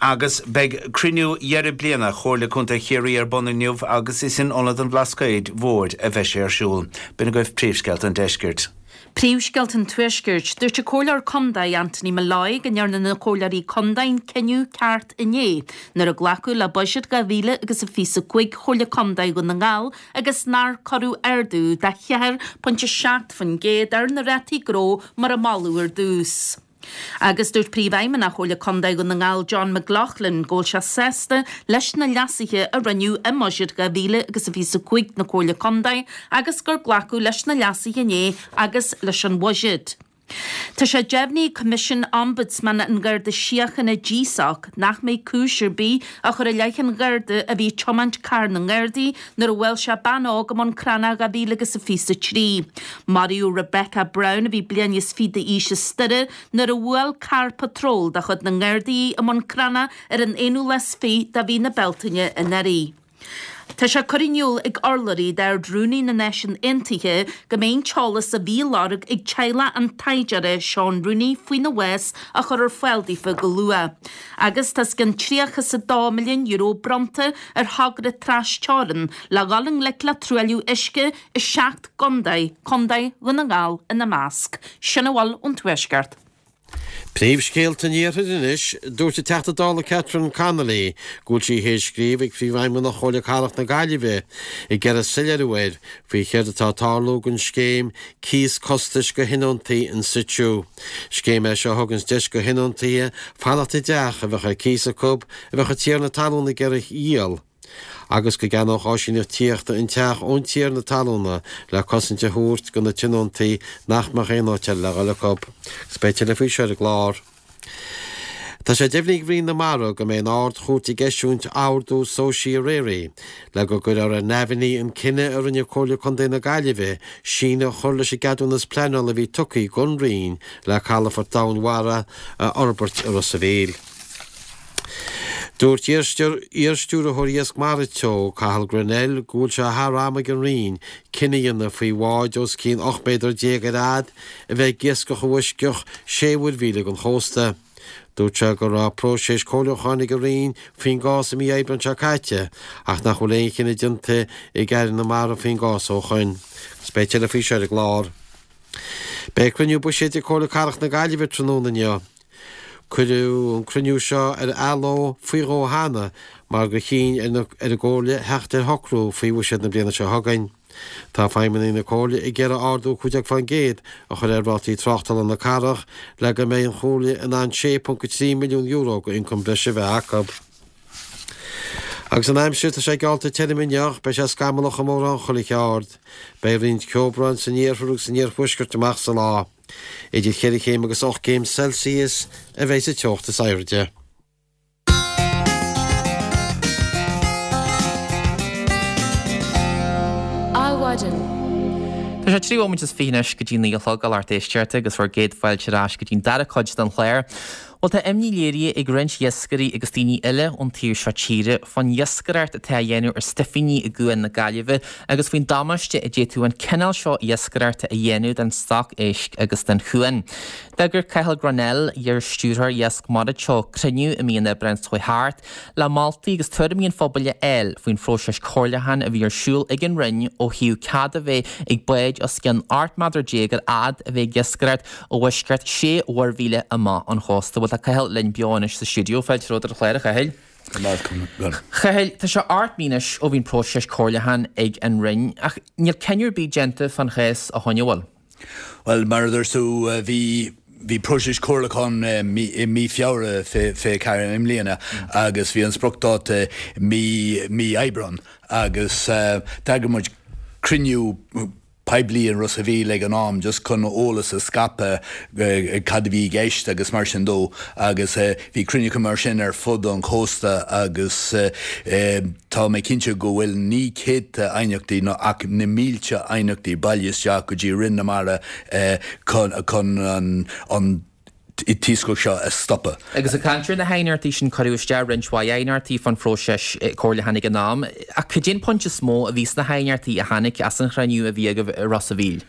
Agus beidh cruinniú dheireadh bliana Chomhairle Contae Chiarraí ar bun inniu agus is in Ionad an Bhlascaoid Mhóir a bheidh sé ar siúl. B'in agaibh príomhscéalta an deiscirt. Príomhscéalta an Tuaiscirt, Dúirt an Comhairleoir Contae Anthony Molloy go ndearna na Comhairleoirí Contae an cinneadh ceart inné nuair a glacadh le Buiséad dhá mhíle agus a fiche a cúig Chomhairle Contae Dhún na nGall agus nár cuireadh ardú de cheathair pointe seacht faoin gcéad ar na rátaí gnó mar a moladh ar dtús. Agus dúirt Príomhfheidhmeannach Chomhairle Contae Dhún na nGall John McLaughlin go bhfuil sé sásta leis na leasuithe a rinneadh i mBuiséad dhá mhíle agus a fiche a cúig na Comhairle Contae agus gur glacadh leis na leasuithe inné agus leis an bhuiséad. Tá sé deimhnithe ag Coimisiún Ombudsman an Gharda Síochána, GSOC, nach mbeidh cúis ar bith á chur i leith an Gharda a bhí ag tiomáint carr na nGardaí nuair a bhuail sé bean óg i mBun Cranncha dhá mhíle agus a fiche a trí. Maraíodh Rebecca Brown, a bhí bliain is fiche d'aois as Doire, nuair a bhuail carr patróil de chuid na nGardaí í i mBun Cranncha ar an aonú lá is fiche de mhí na Bealtaine anuraidh. Tá sé curtha in iúl ag urlabhraí d'Ard-Rúnaí na Náisiún Aontaithe go mbeidh an t-eolas a bhí á lorg ag teaghlach an taighdeora Seán Rooney faoina bhás á chur ar fáil daofa go luath. Agus tá os cionn tríocha is a dó milliún euro bronnta ar thogra tras-teorann le dhul i ngleic le truailliú uisce i seacht gcontae, Contae Dhún na nGall ina measc. Sin a bhfuil ón Tuaisceart. Príomhscéalta an Iarthair anois, Dúirt an Teachta Dála Catherine Connolly go bhfuil sí théis scríobh ag Príomhfheidhmeannach Chomhairle Cathrach na Gaillimhe ag iarraidh soiléiriú air faoi chéard atá ag tarlú don scéim cíos costais do thionóntaí in situ. Scéim é seo a thuganns deis do thionóntaithe fanacht i dteach a bheadh ar cíos acu a bheadh an tiarna talún ag iarraidh a dhíol. agus go gceannódh áisíneacht tithíochta an teach ón tiarna talúna le cosaint a thabhairt do na tionóntaí nach mbeadh aon áit eile le dhul acu. Agus beidh tuilleadh faoi seo ar an gclár. Tá sé deimhnithe ag Roinn na Mara go mbeidh an Ard-Chúirt ag eisiúint ordú certiorari le go gcuirfear ar neamhní an cinneadh a rinne Comhairle Contae na Gaillimhe síneadh a chur leis an gceadúnas pleanála a bhí tugtha don Roinn le calafort domhainmhara a fhorbairt i Ros a' Mhíl. Dúirt iar-stiúrthóir Iasc Mara Teo, Cathal Grennell, go bhfuil sé thar am ag an Roinn cinneadh a dhéanamh faoi bháid os cionn ocht méadar déag ar fhad a bheith ag iascach i bhfoisceacht sé mhuirmhíle den chósta. Dúirt sé go raibh próiseas comhairliúcháin ag an Roinn faoin gcás i mí Aibreáin seo caite ach nach bhfuil aon chinneadh déanta ag Aire na Mara faoin gcás ó shoin. Agus beidh tuilleadh faoi seo ar an gclár. Beidh cruinniú buiséid ag Comhairle Cathrach na Gaillimhe tráthnóna inniu. Cuireadh an cruinniú seo ar athló faoi dhó cheana mar gur chinn ar an gComhairle theacht ar shocrú faoi bhuiséad na bliana seo chugainn. Tá feidhmeannaigh na Comhairle ag iarraidh ardú cúig déag faoin gcéad a chur ar rátaí tráchtála na cathrach le go mbeidh an Chomhairle in ann sé ponc a trí milliún euro d'ioncam breise a bheith acu. Agus an aimsir, tá sé geallta tirim inniu, beidh sé scamallach i mórán chuile cheard. Beidh roinnt ceobhrán san iarthar agus san iarthuaisceart amach sa lá. Idir cheithre chéim agus ocht gcéim Celsius a bheidh sa teocht is airde. Adhmhaidin. Tá sé trí bhomaite is fiche anois go dtí naoi a chlog, a lucht éisteachta, agus bhur gcéad fáilte ar ais go dtí'n dara cuid den chlár. Bhuel, tá imní léirithe ag roinnt iascairí agus daoine eile ón taobh seo tíre fán iascaireacht atá á dhéanamh ar stuifíní i gCuan na Gaillimhe agus faoin damáiste a d'fhéadfadh an cineál seo iascaireachta a dhéanamh don stoc éisc agus don chuan. D'eagraigh Cathal Grennell, iar-stiúrthóir Iasc Mara Teo, cruinniú i mí an Aibreáin seo chuaigh thart le moltaí agus tuairimí an phobail a fháil faoin phróiseas comhairliúcháin a bhí ar siúl ag an Roinn ó thaobh cead a bheith ag báid os cionn ocht méadar déag ar fhad a bheith ag iascaireacht i bhfoisceacht sé mhuirmhíle amach ón chósta. Bhuel, tá Cathal linn beo anois sa stiúideo. Fáilte romhat ar an chlár, a Chathail. Go raibh maith agat. Chathail, tá sé ocht mí anois ó bhí an próiseas comhairliúcháin ag an Roinn, ach níl cinneadh ar bith déanta fán chás ó shoin, an bhfuil? Bhuel, mar a dúirt tú, bhí bhí próiseas comhairliúcháin i mí Feabhra fiche fiche ceathair i mbliana agus bhí an spriocdháta mí mí Aibreán agus d'eagraigh muid cruinniú poiblí in Ros a' Mhíl ag an am just chun eolas a scaipeadh cad a bhí i gceist agus mar sin dó agus bhí cruinnithe mar sin ar fud an chósta agus tá mé cinnte go bhfuil ní céadta aighneachtaí ná ach na mílte aighneachtaí bailithe isteach go dtí Roinn na Mara chun an t-iascach seo a stopadh. Agus ag caint ar na haighneachtaí sin cuireadh isteach roinnt mhaith aighneachtaí fán phróiseas comhairliúcháin ag an am, ach cad é an pointe is mó a bhí sna haighneachtaí a tháinig as an chruinniú a bhí agaibh i Ros a' Mhíl?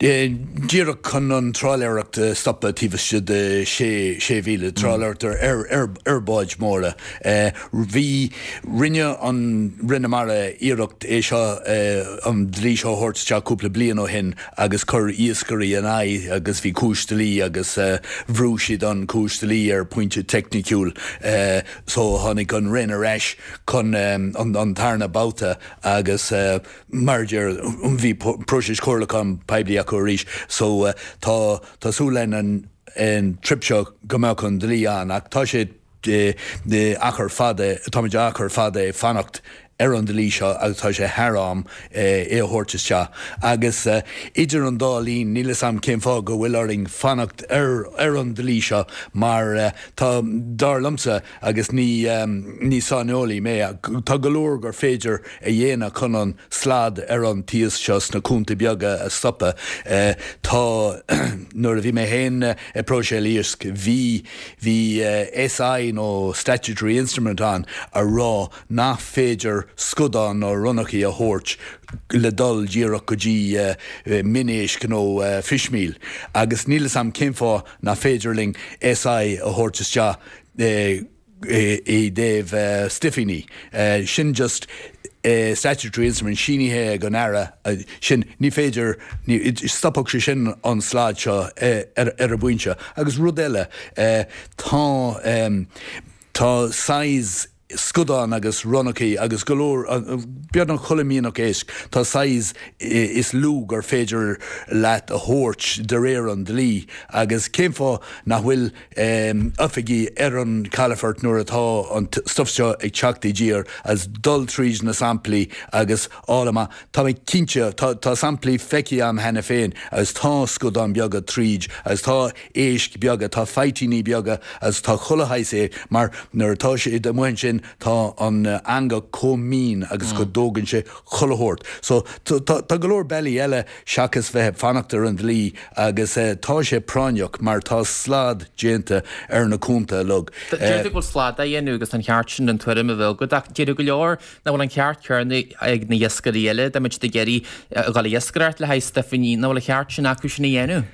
Díreach chun an trálaeireacht a stopadh taobh istigh de sé mhíle, trálaeireacht ar bháid móra. Bhí, rinne an Roinn na Mara iarracht é seo, an dlí seo a thabhairt isteach cúpla bliain ó shin agus chuir iascairí in aghaidh agus bhí cúis dlí agus bhrú siad an cúis dlí ar pointe teicniciúil so tháinig an Roinn ar ais chun an tarna babhta agus mar a deir, bhí próiseas comhairliúcháin poiblí acu arís so tá tá súil againn an trip seo go mbeadh an dlí ann ach tá sé achar fada, táimid achar fada ag fanacht ar an dlí seo agus tá sé thar am é a thabhairt isteach. Agus idir an dá linn níl 'fhios a'm cén fáth go bhfuil orainn fanacht ar ar an dlí seo mar tá, dar liomsa, agus ní ní saineolaí mé, tá go leor gur féidir a dhéanamh chun an slad ar an t-iasc seo sna cuanta beaga a stopadh. Tá, nuair a bhí mé féin ag próiseáil iasc, bhí bhí SI nó Statutory Instrument ann a rá nach féidir scadán nó ronnachaí a thabhairt le dul díreach go dtí min-éisc nó fishmeal agus níl 'fhios a'm cén fáth nach féidir linn SI a thabhairt isteach i dtaobh stuifíní. Sin just statutory instrument sínithe ag an Aire sin ní féidir, stopfadh sé sin an slad seo ar an bpointe. Agus rud eile, tá tá size scadán agus ronnachaí agus go leor, beagnach chuile mhianach éisc, tá size is lú gur féidir leat a thabhairt de réir an dlí agus cén fáth nach bhfuil oifigigh ar an calafort nuair atá an stuff seo ag teacht i dtír agus dul tríd na samplaí agus fháil amach, tá mé cinnte, tá tá samplaí feicthe agam cheana féin agus tá scadáin beaga tríd agus tá éisc beaga, tá faitíní beaga agus tá chuile shaghas é mar nuair atá siad amuigh ansin tá an eangach chomh mín agus go dtógann sé chuile shórt. So tá go leor bealaí eile seachas bheith ag fanacht ar an dlí agus tá sé práinneach mar tá slad déanta ar na cuanta uilig. Deir tú go bhfuil slad á dhéanamh agus tá an ceart sin an tuairim a bheith agat ach déarfadh go leor nach bhfuil an ceart céanna ag na hiascairí eile dá mbeadh siad ag iarraidh a dhul ag iascaireacht le haghaidh stuifíní, nach bhfuil an ceart sin acu sin a dhéanamh?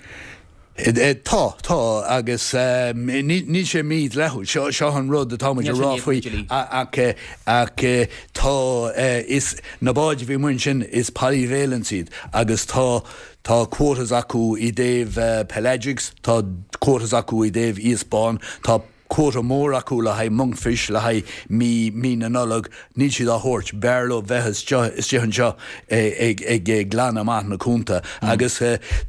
Tá, tá, agus níl sé mídhleathúil, seo, seo an rud atá muid a rá faoi, ach, ach tá, is, na báid a bhí amuigh ansin, is polyvalence iad agus tá, tá quotas acu i dtaobh pelagics, tá quotas acu i dtaobh iasc bán, tá quota mór acu le haghaidh monkfish, le haghaidh mí, mí na Nollag, níl siad á thabhairt, b'fhearr leo bheith istigh anseo ag, ag glanadh amach na cuanta. Agus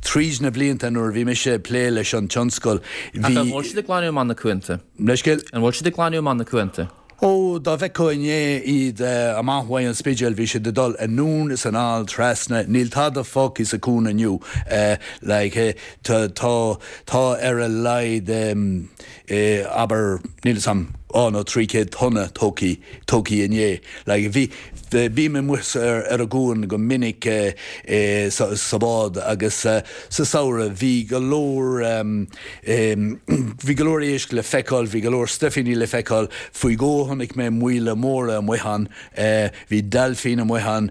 tríd na blianta nuair a bhí mise ag plé leis an tionscal, bhí. Ach an bhfuil siad ag glanadh amach na cuanta? Leithscéal? An bhfuil siad ag glanadh amach na cuanta? Ó, dá bhfeicfeá inné iad amach uaidh an Spidéal, bhí siad ag dul anonn is anall trasna, níl tada fágtha sa cuan inniu. Like, tá, tá, tá ar a laghad, abair, níl 'fhios a'm, dhá nó trí chéad tonna tógtha, tógtha inné. Like, bhí, bím amuigh ar, ar an gcuan go minic sa, sa bhád agus sa samhradh bhí go leor, bhí go leor éisc le feiceáil, bhí go leor stuifíní le feiceáil. Faoi dhó chonaic mé maoile móra amuigh ann, bhí deilfín amuigh ann,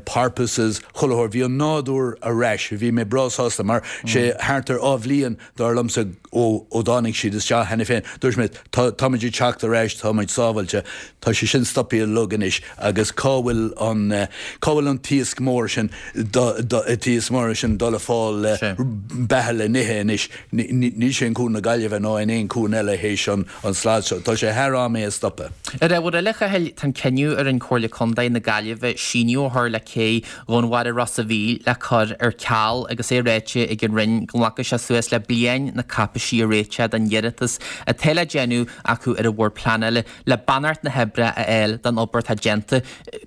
porpoises, chuile shórt. Bhí an nádúr ar ais, bhí mé breá sásta mar sé thart ar dhá bhliain dar liomsa ó ó dtáinig siad isteach cheana féin. Dúirt mé, tá táimid ag teacht ar ais, táimid sábhailte. Tá sé sin stoptha uilig anois agus cá bhfuil an cá bhfuil an t-iasc mór sin t-iasc mór sin dul ag fáil beatha le n-ithe anois? Níl sé in Cuan na Gaillimhe ná in aon cuan eile théis an slad seo. Tá sé thar am é a stopadh. Ar ábhar eile, a Chathail, tá an cinneadh a rinne Comhairle Contae na Gaillimhe síneadh a chur le cé Dhúnmhara Ros a' Mhíl le cur ar ceal agus é ráite ag an Roinn go nglacfaidh sé suas le bliain na cáipeisí a réiteach don iarratas atá le déanamh acu ar an Bhord Pleanála le beannacht na hoibre a fháil don obair atá déanta.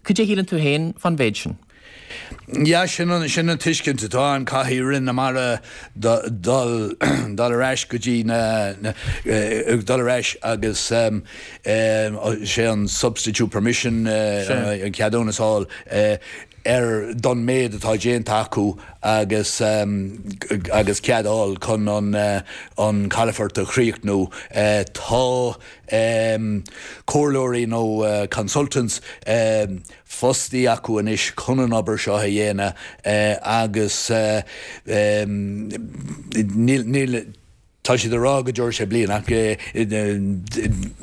Cad é a shíleann tú féin fán mhéid sin? Yeah, sin an sin an tuiscint atá ann caithfidh Roinn na Mara dul dul ar ais go dtí na dul ar ais agus sé an substitute permission an ceadúnas a fháil ar don méid atá déanta acu agus agus cead a fháil chun an an calafort a chríochnú. Tá comhairleoirí nó consultants fostaithe acu anois chun an obair seo a dhéanamh agus níl tá siad ag rá go dtabharfaidh sé bliain ach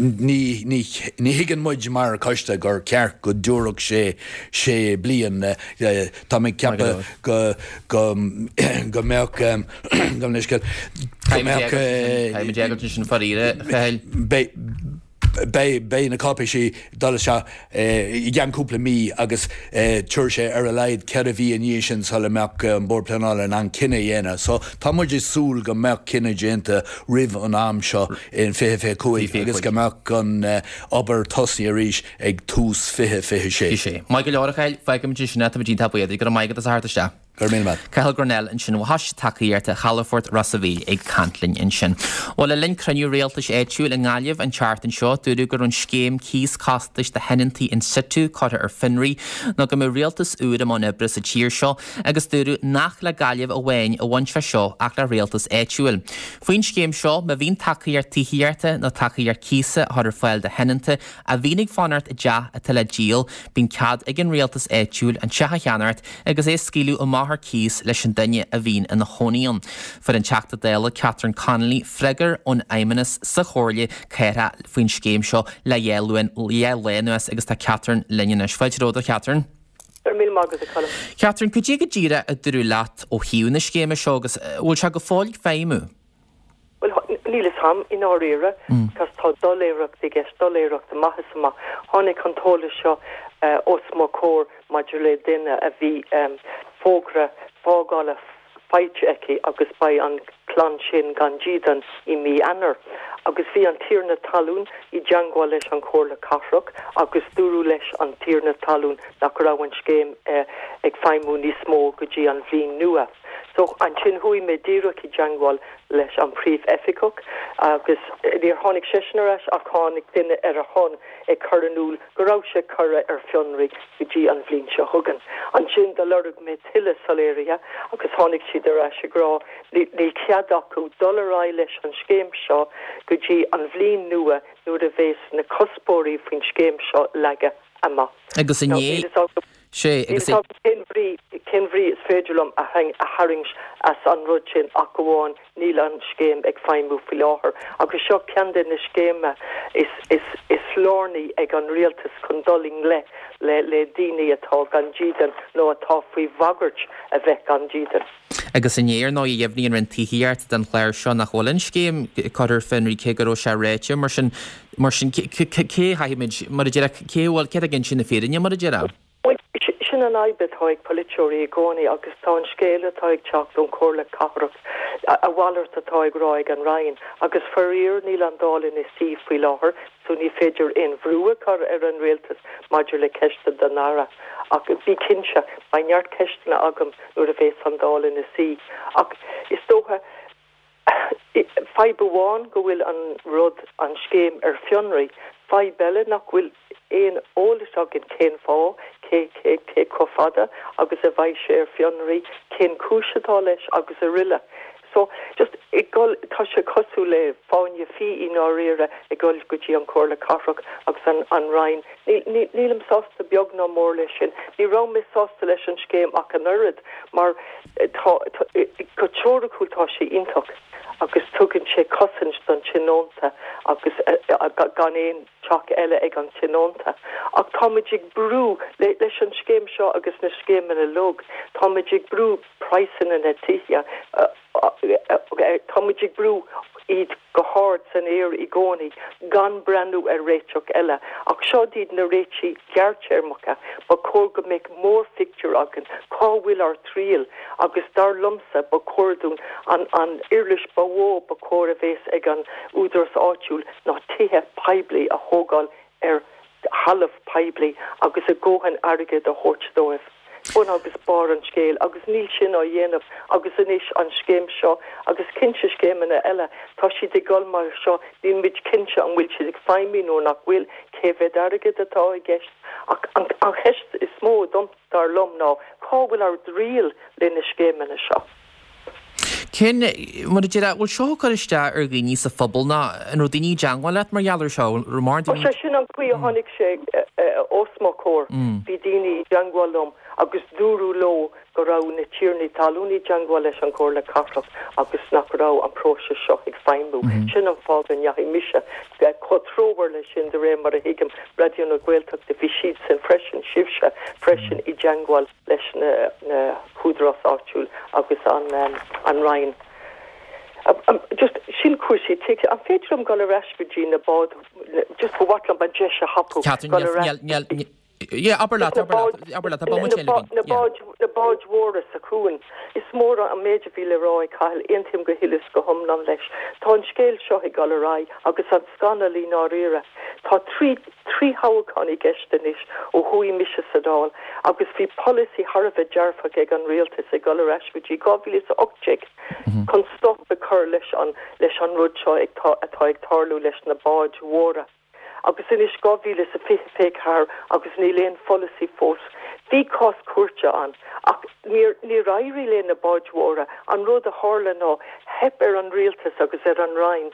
ní ní ní thuigeann muid mar choiste gur ceart go dtabharfadh sé sé bliain. Tá mé ag ceapadh go go go mbeadh go mbeadh sin faraor, a Chathail. Beidh na cáipéisí ag dul isteach i gceann cúpla mí agus tabharfaidh sé ar a laghad ceithre mhí i ndiaidh sin sula mbeadh an Bord Pleanála in ann cinneadh a dhéanamh. So tá muid ag súil go mbeadh cinneadh déanta roimh an am seo in fiche fiche cúig agus go mbeadh an obair tosaithe arís ag tús fiche fiche sé. Maith go leor, a Chathail, fágfaimid ansin é, táimid iontach buíoch, go raibh maith agat as a theacht isteach. Go raibh míle maith. Cathal Grennell ansin ó Choiste Tacaíochta Chalafort Ros a' Mhíl ag caint linn ansin. Bhuel, le linn cruinniú rialtais áitiúil i nGaillimh an tseachtain seo, dúradh go raibh an scéim cíos costais do thionóntaí in situ curtha ar fionraí nó go mbeidh rialtas úr i mbun oibre sa tír seo agus dúradh nach le Gaillimh amháin a bhain sé seo ach le rialtas áitiúil. Faoin scéim seo, má bhíonn tacaíocht tithíochta nó tacaíocht cíosa á chur ar fáil do thionónta a bhíonn ag fanacht i dteach atá le díol, bíonn cead ag an rialtas áitiúil an teach a cheannacht agus é a scaoileadh amach ar cíos leis an duine a bhíonn ina chónaí ann. Fuair an Teachta Dála Catherine Connolly freagra ón Fheidhmeannas sa Chomhairle Cathrach faoin scéim seo le dhá lá anuas agus tá Catherine linn anois. Fáilte romhat, a Chatherine. Go raibh míle maith agat, a Cholm. Catherine, cad é go díreach a dúradh leat ó thaobh na scéime seo agus an bhfuil sé go fóill ag feidhmiú? Bhuel, níl fhios a'm, i ndáiríre, cos tá doiléireacht i gceist, doiléireacht amach is amach. Tháinig an t-eolas seo os mo chomhair maidir le duine a bhí fógra fágála faighte aici agus beidh an chlann sin gan dídean i mí Eanáir. Agus bhí an tiarna talún i dteangmháil leis an Chomhairle Cathrach agus dúradh leis an tiarna talún nach raibh an scéim ag feidhmiú níos mó go dtí an bhliain nua. So ansin chuaigh mé díreach i dteangmháil leis an Príomh-Oifigeach agus níor tháinig seisean ar ais ach tháinig duine ar a shon ag cur in iúl go raibh sé curtha ar fionraí go dtí an bhliain seo chugainn. Ansin do lorg mé tuilleadh soiléirithe agus tháinig siad ar ais ag rá níl cead acu dul ar aghaidh leis an scéim seo go dtí an bhliain nua nuair a bhéas na cuspóirí faoin scéim seo leagtha amach. Agus inné, sé, agus. Níl fhios agam cén bhrí, cén bhrí is féidir liom a tharraingt as an rud sin ach amháin níl an scéim ag feidhmiú faoi láthair. Agus seo ceann de na scéimeanna is, is, is lárnaí ag an rialtas chun dul i ngleic le, le daoine atá gan dídean nó atá faoi bhagairt a bheith gan dídean. Agus inné, ar ndóigh, dheimhnigh an Roinn Tithíochta don chlár seo nach bhfuil an scéim curtha ar fionraí cé go raibh sé ráite. Mar sin, mar sin, cé a chaithfimid, mar a déarfá, cé a bhfuil, cé atá ag inse na fírinne, mar a déarfá? Bhuel, sin an fhadhb atá ag polaiteoirí i gcónaí agus tá an scéal atá ag teacht ón Chomhairle Cathrach, a mhalairt atá ag rá ag an Roinn. Agus faraor níl an Dáil ina suí faoi láthair so ní féidir aon bhrú a chur ar an Rialtas maidir le ceist don Aire. Ach bí cinnte, beidh neart ceisteanna agam nuair a bheas an Dáil ina suí. Ach is dócha, fadhb amháin go bhfuil an rud, an scéim ar fionraí. Fadhb eile nach bhfuil aon eolas againn cén fáth, cé, cé, cé chomh fada agus a bheidh sé ar fionraí, cén chúis atá leis agus aroile. So, just ag dul, tá sé cosúil le fáinne fí i ndáiríre ag dul go dtí an Chomhairle Cathrach agus an, an Roinn. Níl, níl, nílim sásta beag ná mór leis sin. Ní raibh mé sásta leis an scéim ach an oiread mar tá, tá, go teoiriciúil tá sé iontach agus tugann sé cosaint don tionónta agus gan aon teach eile ag an tionónta. Ach táimid ag brú, le, leis an scéim seo agus na scéimeanna uilig, táimid ag brú praghsanna na tithe, táimid ag brú iad go hard san aer i gcónaí gan breathnú ar réiteach eile. Ach seo iad na réitigh ghearrthéarmacha. Ba chóir go mbeadh mórphictiúr againn, cá bhfuil ár dtriall? Agus dar liomsa, ba chóir dúinn an an uirlis ba mhó ba chóir a bheas ag an údarás áitiúil ná tithe poiblí a thógáil ar thalamh poiblí agus a dhóthain airgid a thabhairt dóibh. bun agus barr an scéil agus níl sin á dhéanamh agus anois an scéim seo agus cinnte scéimeanna eile, tá siad ag dul mar seo, níl muid cinnte an bhfuil siad ag feidhmiú nó nach bhfuil, cé mhéad airgead atá i gceist. Ach an cheist is mó dom, dar liom, ná cá bhfuil ár dtriall le na scéimeanna seo? Cén, mar a déarfá, bhfuil seo ag cur isteach ar dhaoine sa phobal nó an raibh daoine i dteangmháil leat mar gheall ar seo? An raibh mórán daoine. Sea, sin an chaoi a tháinig sé os mo chomhair. Bhí daoine i dteangmháil liom agus dúradh leo go raibh na tiarnaí talún i dteangmháil leis an Chomhairle Cathrach agus nach raibh an próiseas seo ag feidhmiú. Sin an fáth go ndeachaigh mise chomh treomhar leis sin, de réir mar a thuigim, Raidió na Gaeltachta, bhí siadsan freisin, sibhse freisin i dteangmháil leis na húdaráis áitiúil agus an Roinn. Just sin cúrsaí tithíochta. An féidir liom dul ar ais go dtí na báid, just ba mhaith liom an deis a thapú dul ar ais go dtí Yeah, abair leat, abair leat, abair leat, tá bomaite eile againn. Na báid, na báid mhóra sa chuan. Is mór an méid a bhí le rá ag Cathal, aontaím go huile is go hiomlán leis. Tá an scéal seo ag dul ar aghaidh agus an scannal i ndáiríre. Tá trí, trí thoghchán i gceist anois ó chuaigh mise sa Dáil agus bhí polasaí thar a bheith dearfach ag an rialtas ag dul ar ais go dtí dhá mhíle is a ocht déag chun stop a chur leis an, leis an rud seo ag, atá ag tarlú leis na báid mhóra. Agus anois dhá mhíle is a fiche fiche ceathair agus níl aon pholasaí fós. Bhí cás cúirte ann ach níor níor éirigh le na báid mhóra. An rud a tharla ná theip ar an rialtas agus ar an Roinn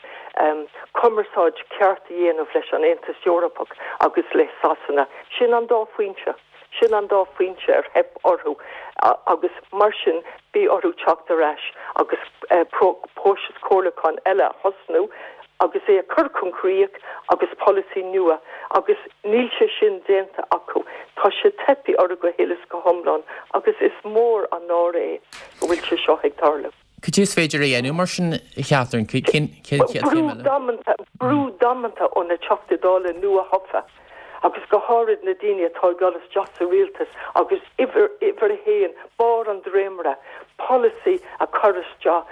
cumarsáid ceart a dhéanamh leis an Aontas Eorpach agus le Sasana. Sin an dá phointe. Sin an dá phointe ar theip orthu agus mar sin bhí orthu teacht ar ais agus próiseas comhairliúcháin eile a thosnú agus é a chur chun críoch agus polasaí nua agus níl sé sin déanta acu. Tá sé teipthe orthu go huile is go hiomlán agus is mór an náire é go bhfuil sé seo ag tarlú. Cad é is féidir a dhéanamh mar sin, a Chatherine? Cén chéad chéim eile? Brú damanta ó na Teachtaí Dála nua-thofa agus go háirid na daoine atá ag dul isteach sa rialtas agus uimhir uimhir a haon, barr an dréimire, polasaí a chur isteach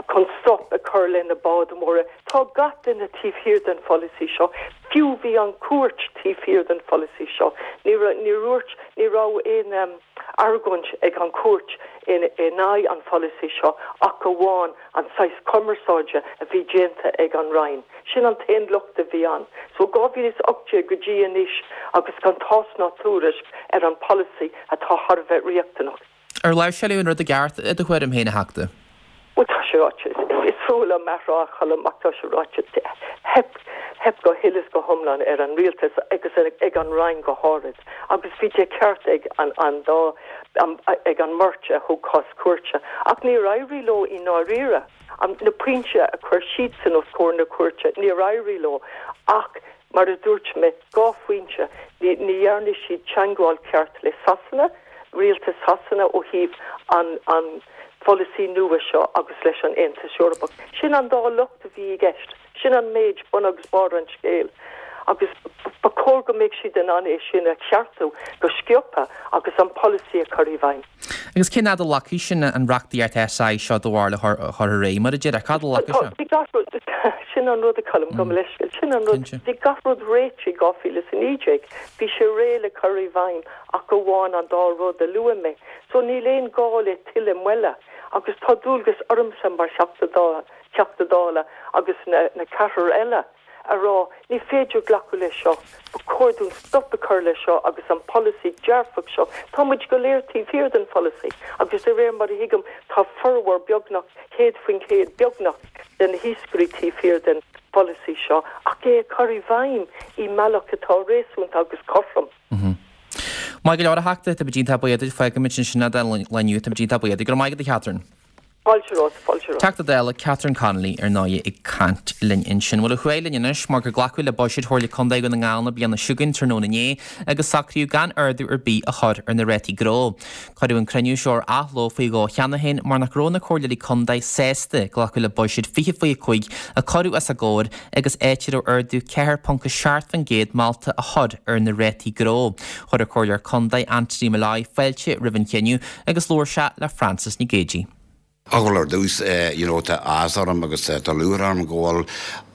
chun stop a chur le na báid mhóra. Tá gach duine taobh thiar den pholasaí seo. Fiú bhí an chúirt taobh thiar den pholasaí seo. Ní ní dúirt ní raibh aon argóint ag an chúirt in in aghaidh an pholasaí seo ach amháin an saghas cumarsáide a bhí déanta ag an Roinn. Sin an t-aon locht a bhí ann. So dhá mhíle is ocht déag go dtí anois agus gan tásc ná tuairisc ar an pholasaí atá thar a bheith riachtanach. Ar láimhseáladh an rud i gceart i do thuairim féin, a Theachta? Bhuel, tá sé ráite. Is fuath liom a rá, a Choilm, ach tá sé ráite. Theip, theip go huile is go hiomlán ar an rialtas agus ag an Roinn go háirid. Agus bhí de cheart ag an, an dá, ag an mbeirt a thug cás cúirte. Ach níor éirigh leo i ndáiríre. An, na pointí a chuir siadsan os comhair na cúirte, níor éirigh leo. Ach, mar a dúirt mé, dhá phointe, ní, ní dhearna siad teagmháil ceart le Sasana, rialtas Shasana ó thaobh an, an pholasaí nua seo agus leis an Aontas Eorpach. Sin an dá locht a bhí i gceist. Sin an méid, bun agus barr an scéil. Agus ba chóir go mbeadh siad in ann é sin a cheartú go sciobtha agus an polasaí a chur i bhfeidhm. Agus cén fhad a ghlacfaidh sin an reachtaíocht S I seo do bharúil a chur ar aghaidh, mar a déarfá, cá fhad a ghlacfaidh sé? Bhí gach rud, sin an rud a Choilm, gabh mo leithscéal, sin an rud, bhí gach rud réitithe i dhá mhíle is a naoi déag, bhí sé réidh le cur i bhfeidhm ach amháin an dá rud a luaigh mé. So níl aon gá le tuilleadh moille agus tá dualgas ormsa mar Theachta Teachta Dála agus na na ceathrar eile a rá ní féidir glacadh leis seo, ba chóir dúinn stop a chur leis seo agus an polasaí dearfach seo, tá muid go léir taobh thiar den pholasaí agus de réir mar a thuigim tá formhór beagnach céad faoin chéad beagnach de na hiascairí taobh thiar den pholasaí seo ach é a chur i bhfeidhm i mbealach atá réasúnta agus cothrom. Maith go leor, a Theachta, tá muid iontach buíoch duit, fágfaimid ansin é don lá inniu, tá muid iontach buíoch duit. Go raibh maith agat, a Chatherine. Fáilte romhat, fáilte romhat. Teachta Dála Catherine Connolly ar ndóigh ag caint linn ansin. Bhuel, ar aghaidh linn anois mar gur glacadh le buiséad Chomhairle Contae Dhún na nGall na bliana seo chugainn tráthnóna inné agus socraíodh gan ardú ar bith a chur ar na rátaí gnó. Cuireadh an cruinniú seo ar athló faoi dhó cheana féin mar nach raibh na comhairleoirí contae sásta glacadh le buiséad fiche fiche cúig a cuireadh os a gcomhair agus áit a raibh ardú ceathair ponc a seacht faoin gcéad molta a chur ar na rátaí gnó. Chuir an Comhairleoir Contae Anthony Molloy fáilte roimh an chinneadh agus labhair sé le Frances Nic Géadaigh. Bhuel ar dtús you know tá áthas orm agus tá lúcháir orm go bhfuil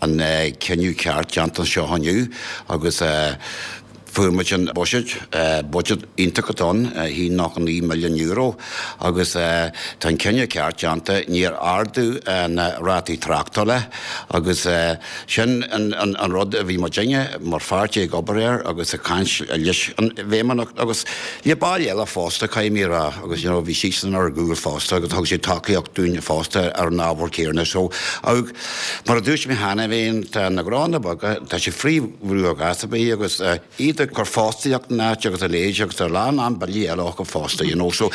an cinneadh ceart déanta anseo inniu agus Fuair muid an buiséad, buiséad iontach atá ann, a haon nócha naoi milliún euro, agus tá an cinneadh ceart déanta, níor ardú na rátaí tráchtála agus sin an rud a bhí muidinne mar pháirtí ag obair air agus ag caint leis an bhFeidhmeannacht agus le baill eile fosta, caithfidh mé a rá, agus you know bhí siadsan ar ár gcúl fosta agus thug siad tacaíocht dúinn fosta ar an ábhar céanna. So, mar a dúirt mé cheana féin, tá na gnónna beaga, tá siad faoi bhrú ar ghas ar bith agus iad ag cur fostaíocht in áit agus a leithéid agus tá a lán lán billí eile acu fosta, you know. So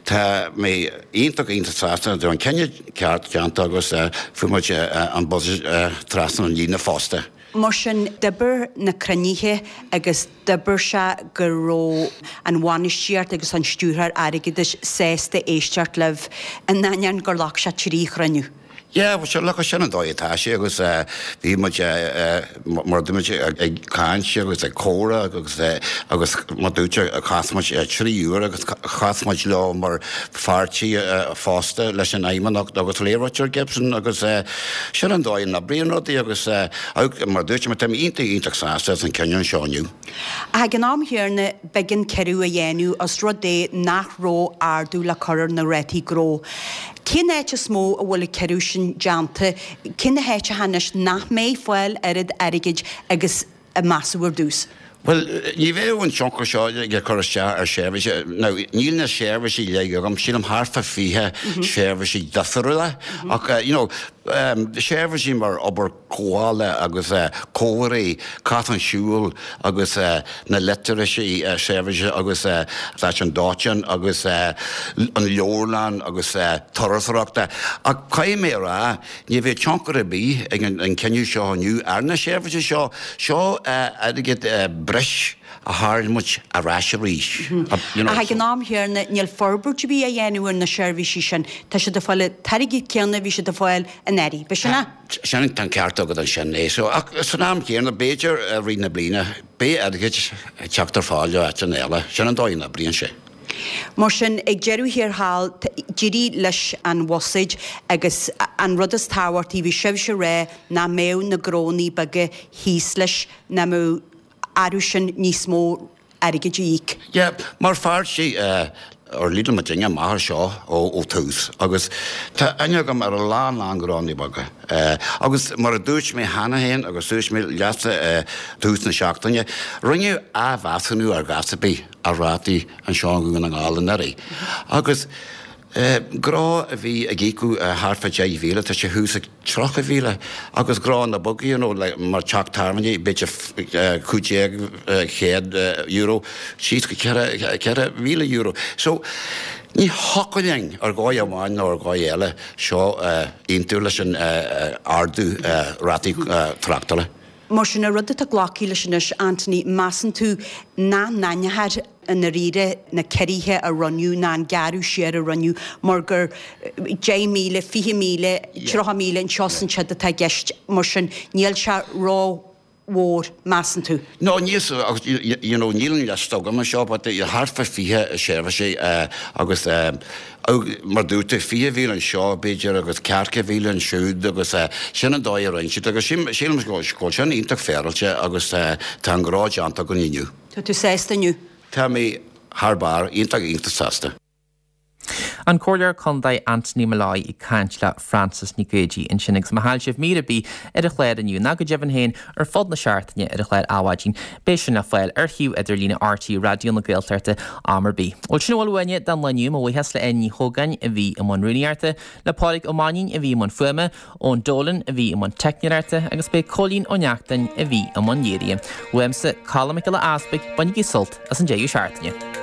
tá mé iontach iontach sásta go raibh an cinneadh ceart déanta agus fuair muid an budget trasna an líne fosta. Mar sin, d'oibir na cruinnithe agus d'oibir sé go raibh an bhainistíocht agus an stiúrthóir airgeadais sásta éisteacht libh, in ainneoin gur ghlac sé trí chruinniú. Yeah, well sure, look, sin an dóigh atá sé agus bhí muid mar a dúirt muid ag caint agus ag comhrá agus agus mar dúirt chas muid trí uair agus chas muid leo mar pháirtí fosta leis an Fheidhmeannacht agus le Richard Gibson agus sin an dóigh a n-oibríonn rudaí agus mar dúirt mé tá mé iontach iontach sásta as an cinneadh seo inniu. Ach ag an am chéanna b'éigean ciorrú a dhéanamh os rud é nach raibh ardú le cur ar na rátaí gnó. Cén áit is mó a bhfuil an ciorrú sin déanta? Cé na háiteacha anois nach mbeidh fáil oiread airgid agus a measadh ar dtús? Bhuel, ní bheadh an tionchar seo ag cur isteach ar sheirbhísí. Now, níl na seirbhísí uilig agam, sílim thart fá fiche seirbhísí difriúla ach, you know, seirbhísí mar obair chothabhála agus comharthaí, cosán siúil agus na literacy seirbhísí agus stáisiún dóiteáin agus an leabharlann agus turasóireachta. Ach caithfidh mé a rá, ní bheidh tionchar ar bith ag an cinneadh seo inniu ar na seirbhísí seo. Seo airgead breis a tharraing muid ar ais arís. Ach ag an am chéanna, níl forbairt ar bith á dhéanamh ar na seirbhísí sin. Tá siad ag fáil an t-airgead céanna a bhí siad ag fáil anuraidh. B'shin é? Sin, tá an ceart agat ansin é. So, ach san am chéanna, b'fhéidir i rith na bliana, beidh airgead ag teacht ar fáil ó áiteanna eile. Sin an dóigh a n-oibríonn sé. Mar sin, ag deireadh thiar thall, d'éirigh leis an bhuiséad agus an rud is tábhachtaí, bhí sibhse ag rá nach mbeadh na gnónnaí beaga thíos leis, nach mbeadh orthu sin níos mó airgid a íoc. Yeah, mar pháirtí ar leader muidinne amach ar seo ó tús agus tá aithne agam ar a lán lán gnónnaí beaga agus mar a dúirt mé cheana féin agus dúirt mé leatsa i dtús na seachtaine, rinneadh athmheasúnú ar ghas ar bith ar rátaí anseo i nDún na nGall anuraidh agus Gnó a bhí ag íocadh thart fá deich mhíle, tá sé thuas ag tríocha mhíle agus gnónna beaga, you know, like mar teach tábhairne, b'fhéidir cúig déag chéad euro síos go ceithre, ceithre mhíle euro. So, ní thiocfadh linn ar dhóigh amháin nó ar dhóigh eile seo a aontú leis an ardú rátaí tráchtála. Mar sin, an rud atá glactha leis anois, Anthony, measann tú nach n-aithneofar i ndáiríre na ciorruithe a rinneadh ná an gearradh siar a rinneadh mar gur deich míle, fiche míle, tríocha míle anseo is ansiúd atá i gceist, mar sin níl sé ró-mhór, measann tú? No, níl, you know, níl an liosta agam anseo but thart fá fiche seirbhísí agus Mar dúirt tú, fiche mhíle anseo, b'fhéidir, agus ceathracha mhíle ansiúd agus sin an dóigh a rinne siad agus sílim go bhfuil sin iontach féaráilte agus tá an gnó déanta againn inniu. Tá tú sásta inniu? Tá mé thar barr, iontach, iontach sásta. An Comhairleoir Contae Anthony Molloy ag caint le Frances Nic Géadaigh ansin agus má chaill sibh mír ar bith ar an chlár inniu ná go deimhin féin ar fud na seachtaine ar an chlár Adhmhaidin, beidh sin le fáil ar shuíomh idirlíne RTÉ Raidió na Gaeltachta am ar bith. Bhuel sin a bhfuil uainne don lá inniu, mo bhuíochas le Áine Ní Chógáin a bhí i mbun rúnaíochta, le Pádraig Ó Mainnín a bhí i mbun fuaime, Eoin Dolan a bhí i mbun teicneoireachta agus b'é Cóilín Ó Neachtain a bhí i mbun léirithe. Uaimse, Colm Mac Giolla Easpaig, bainigí sult as an deireadh seachtaine.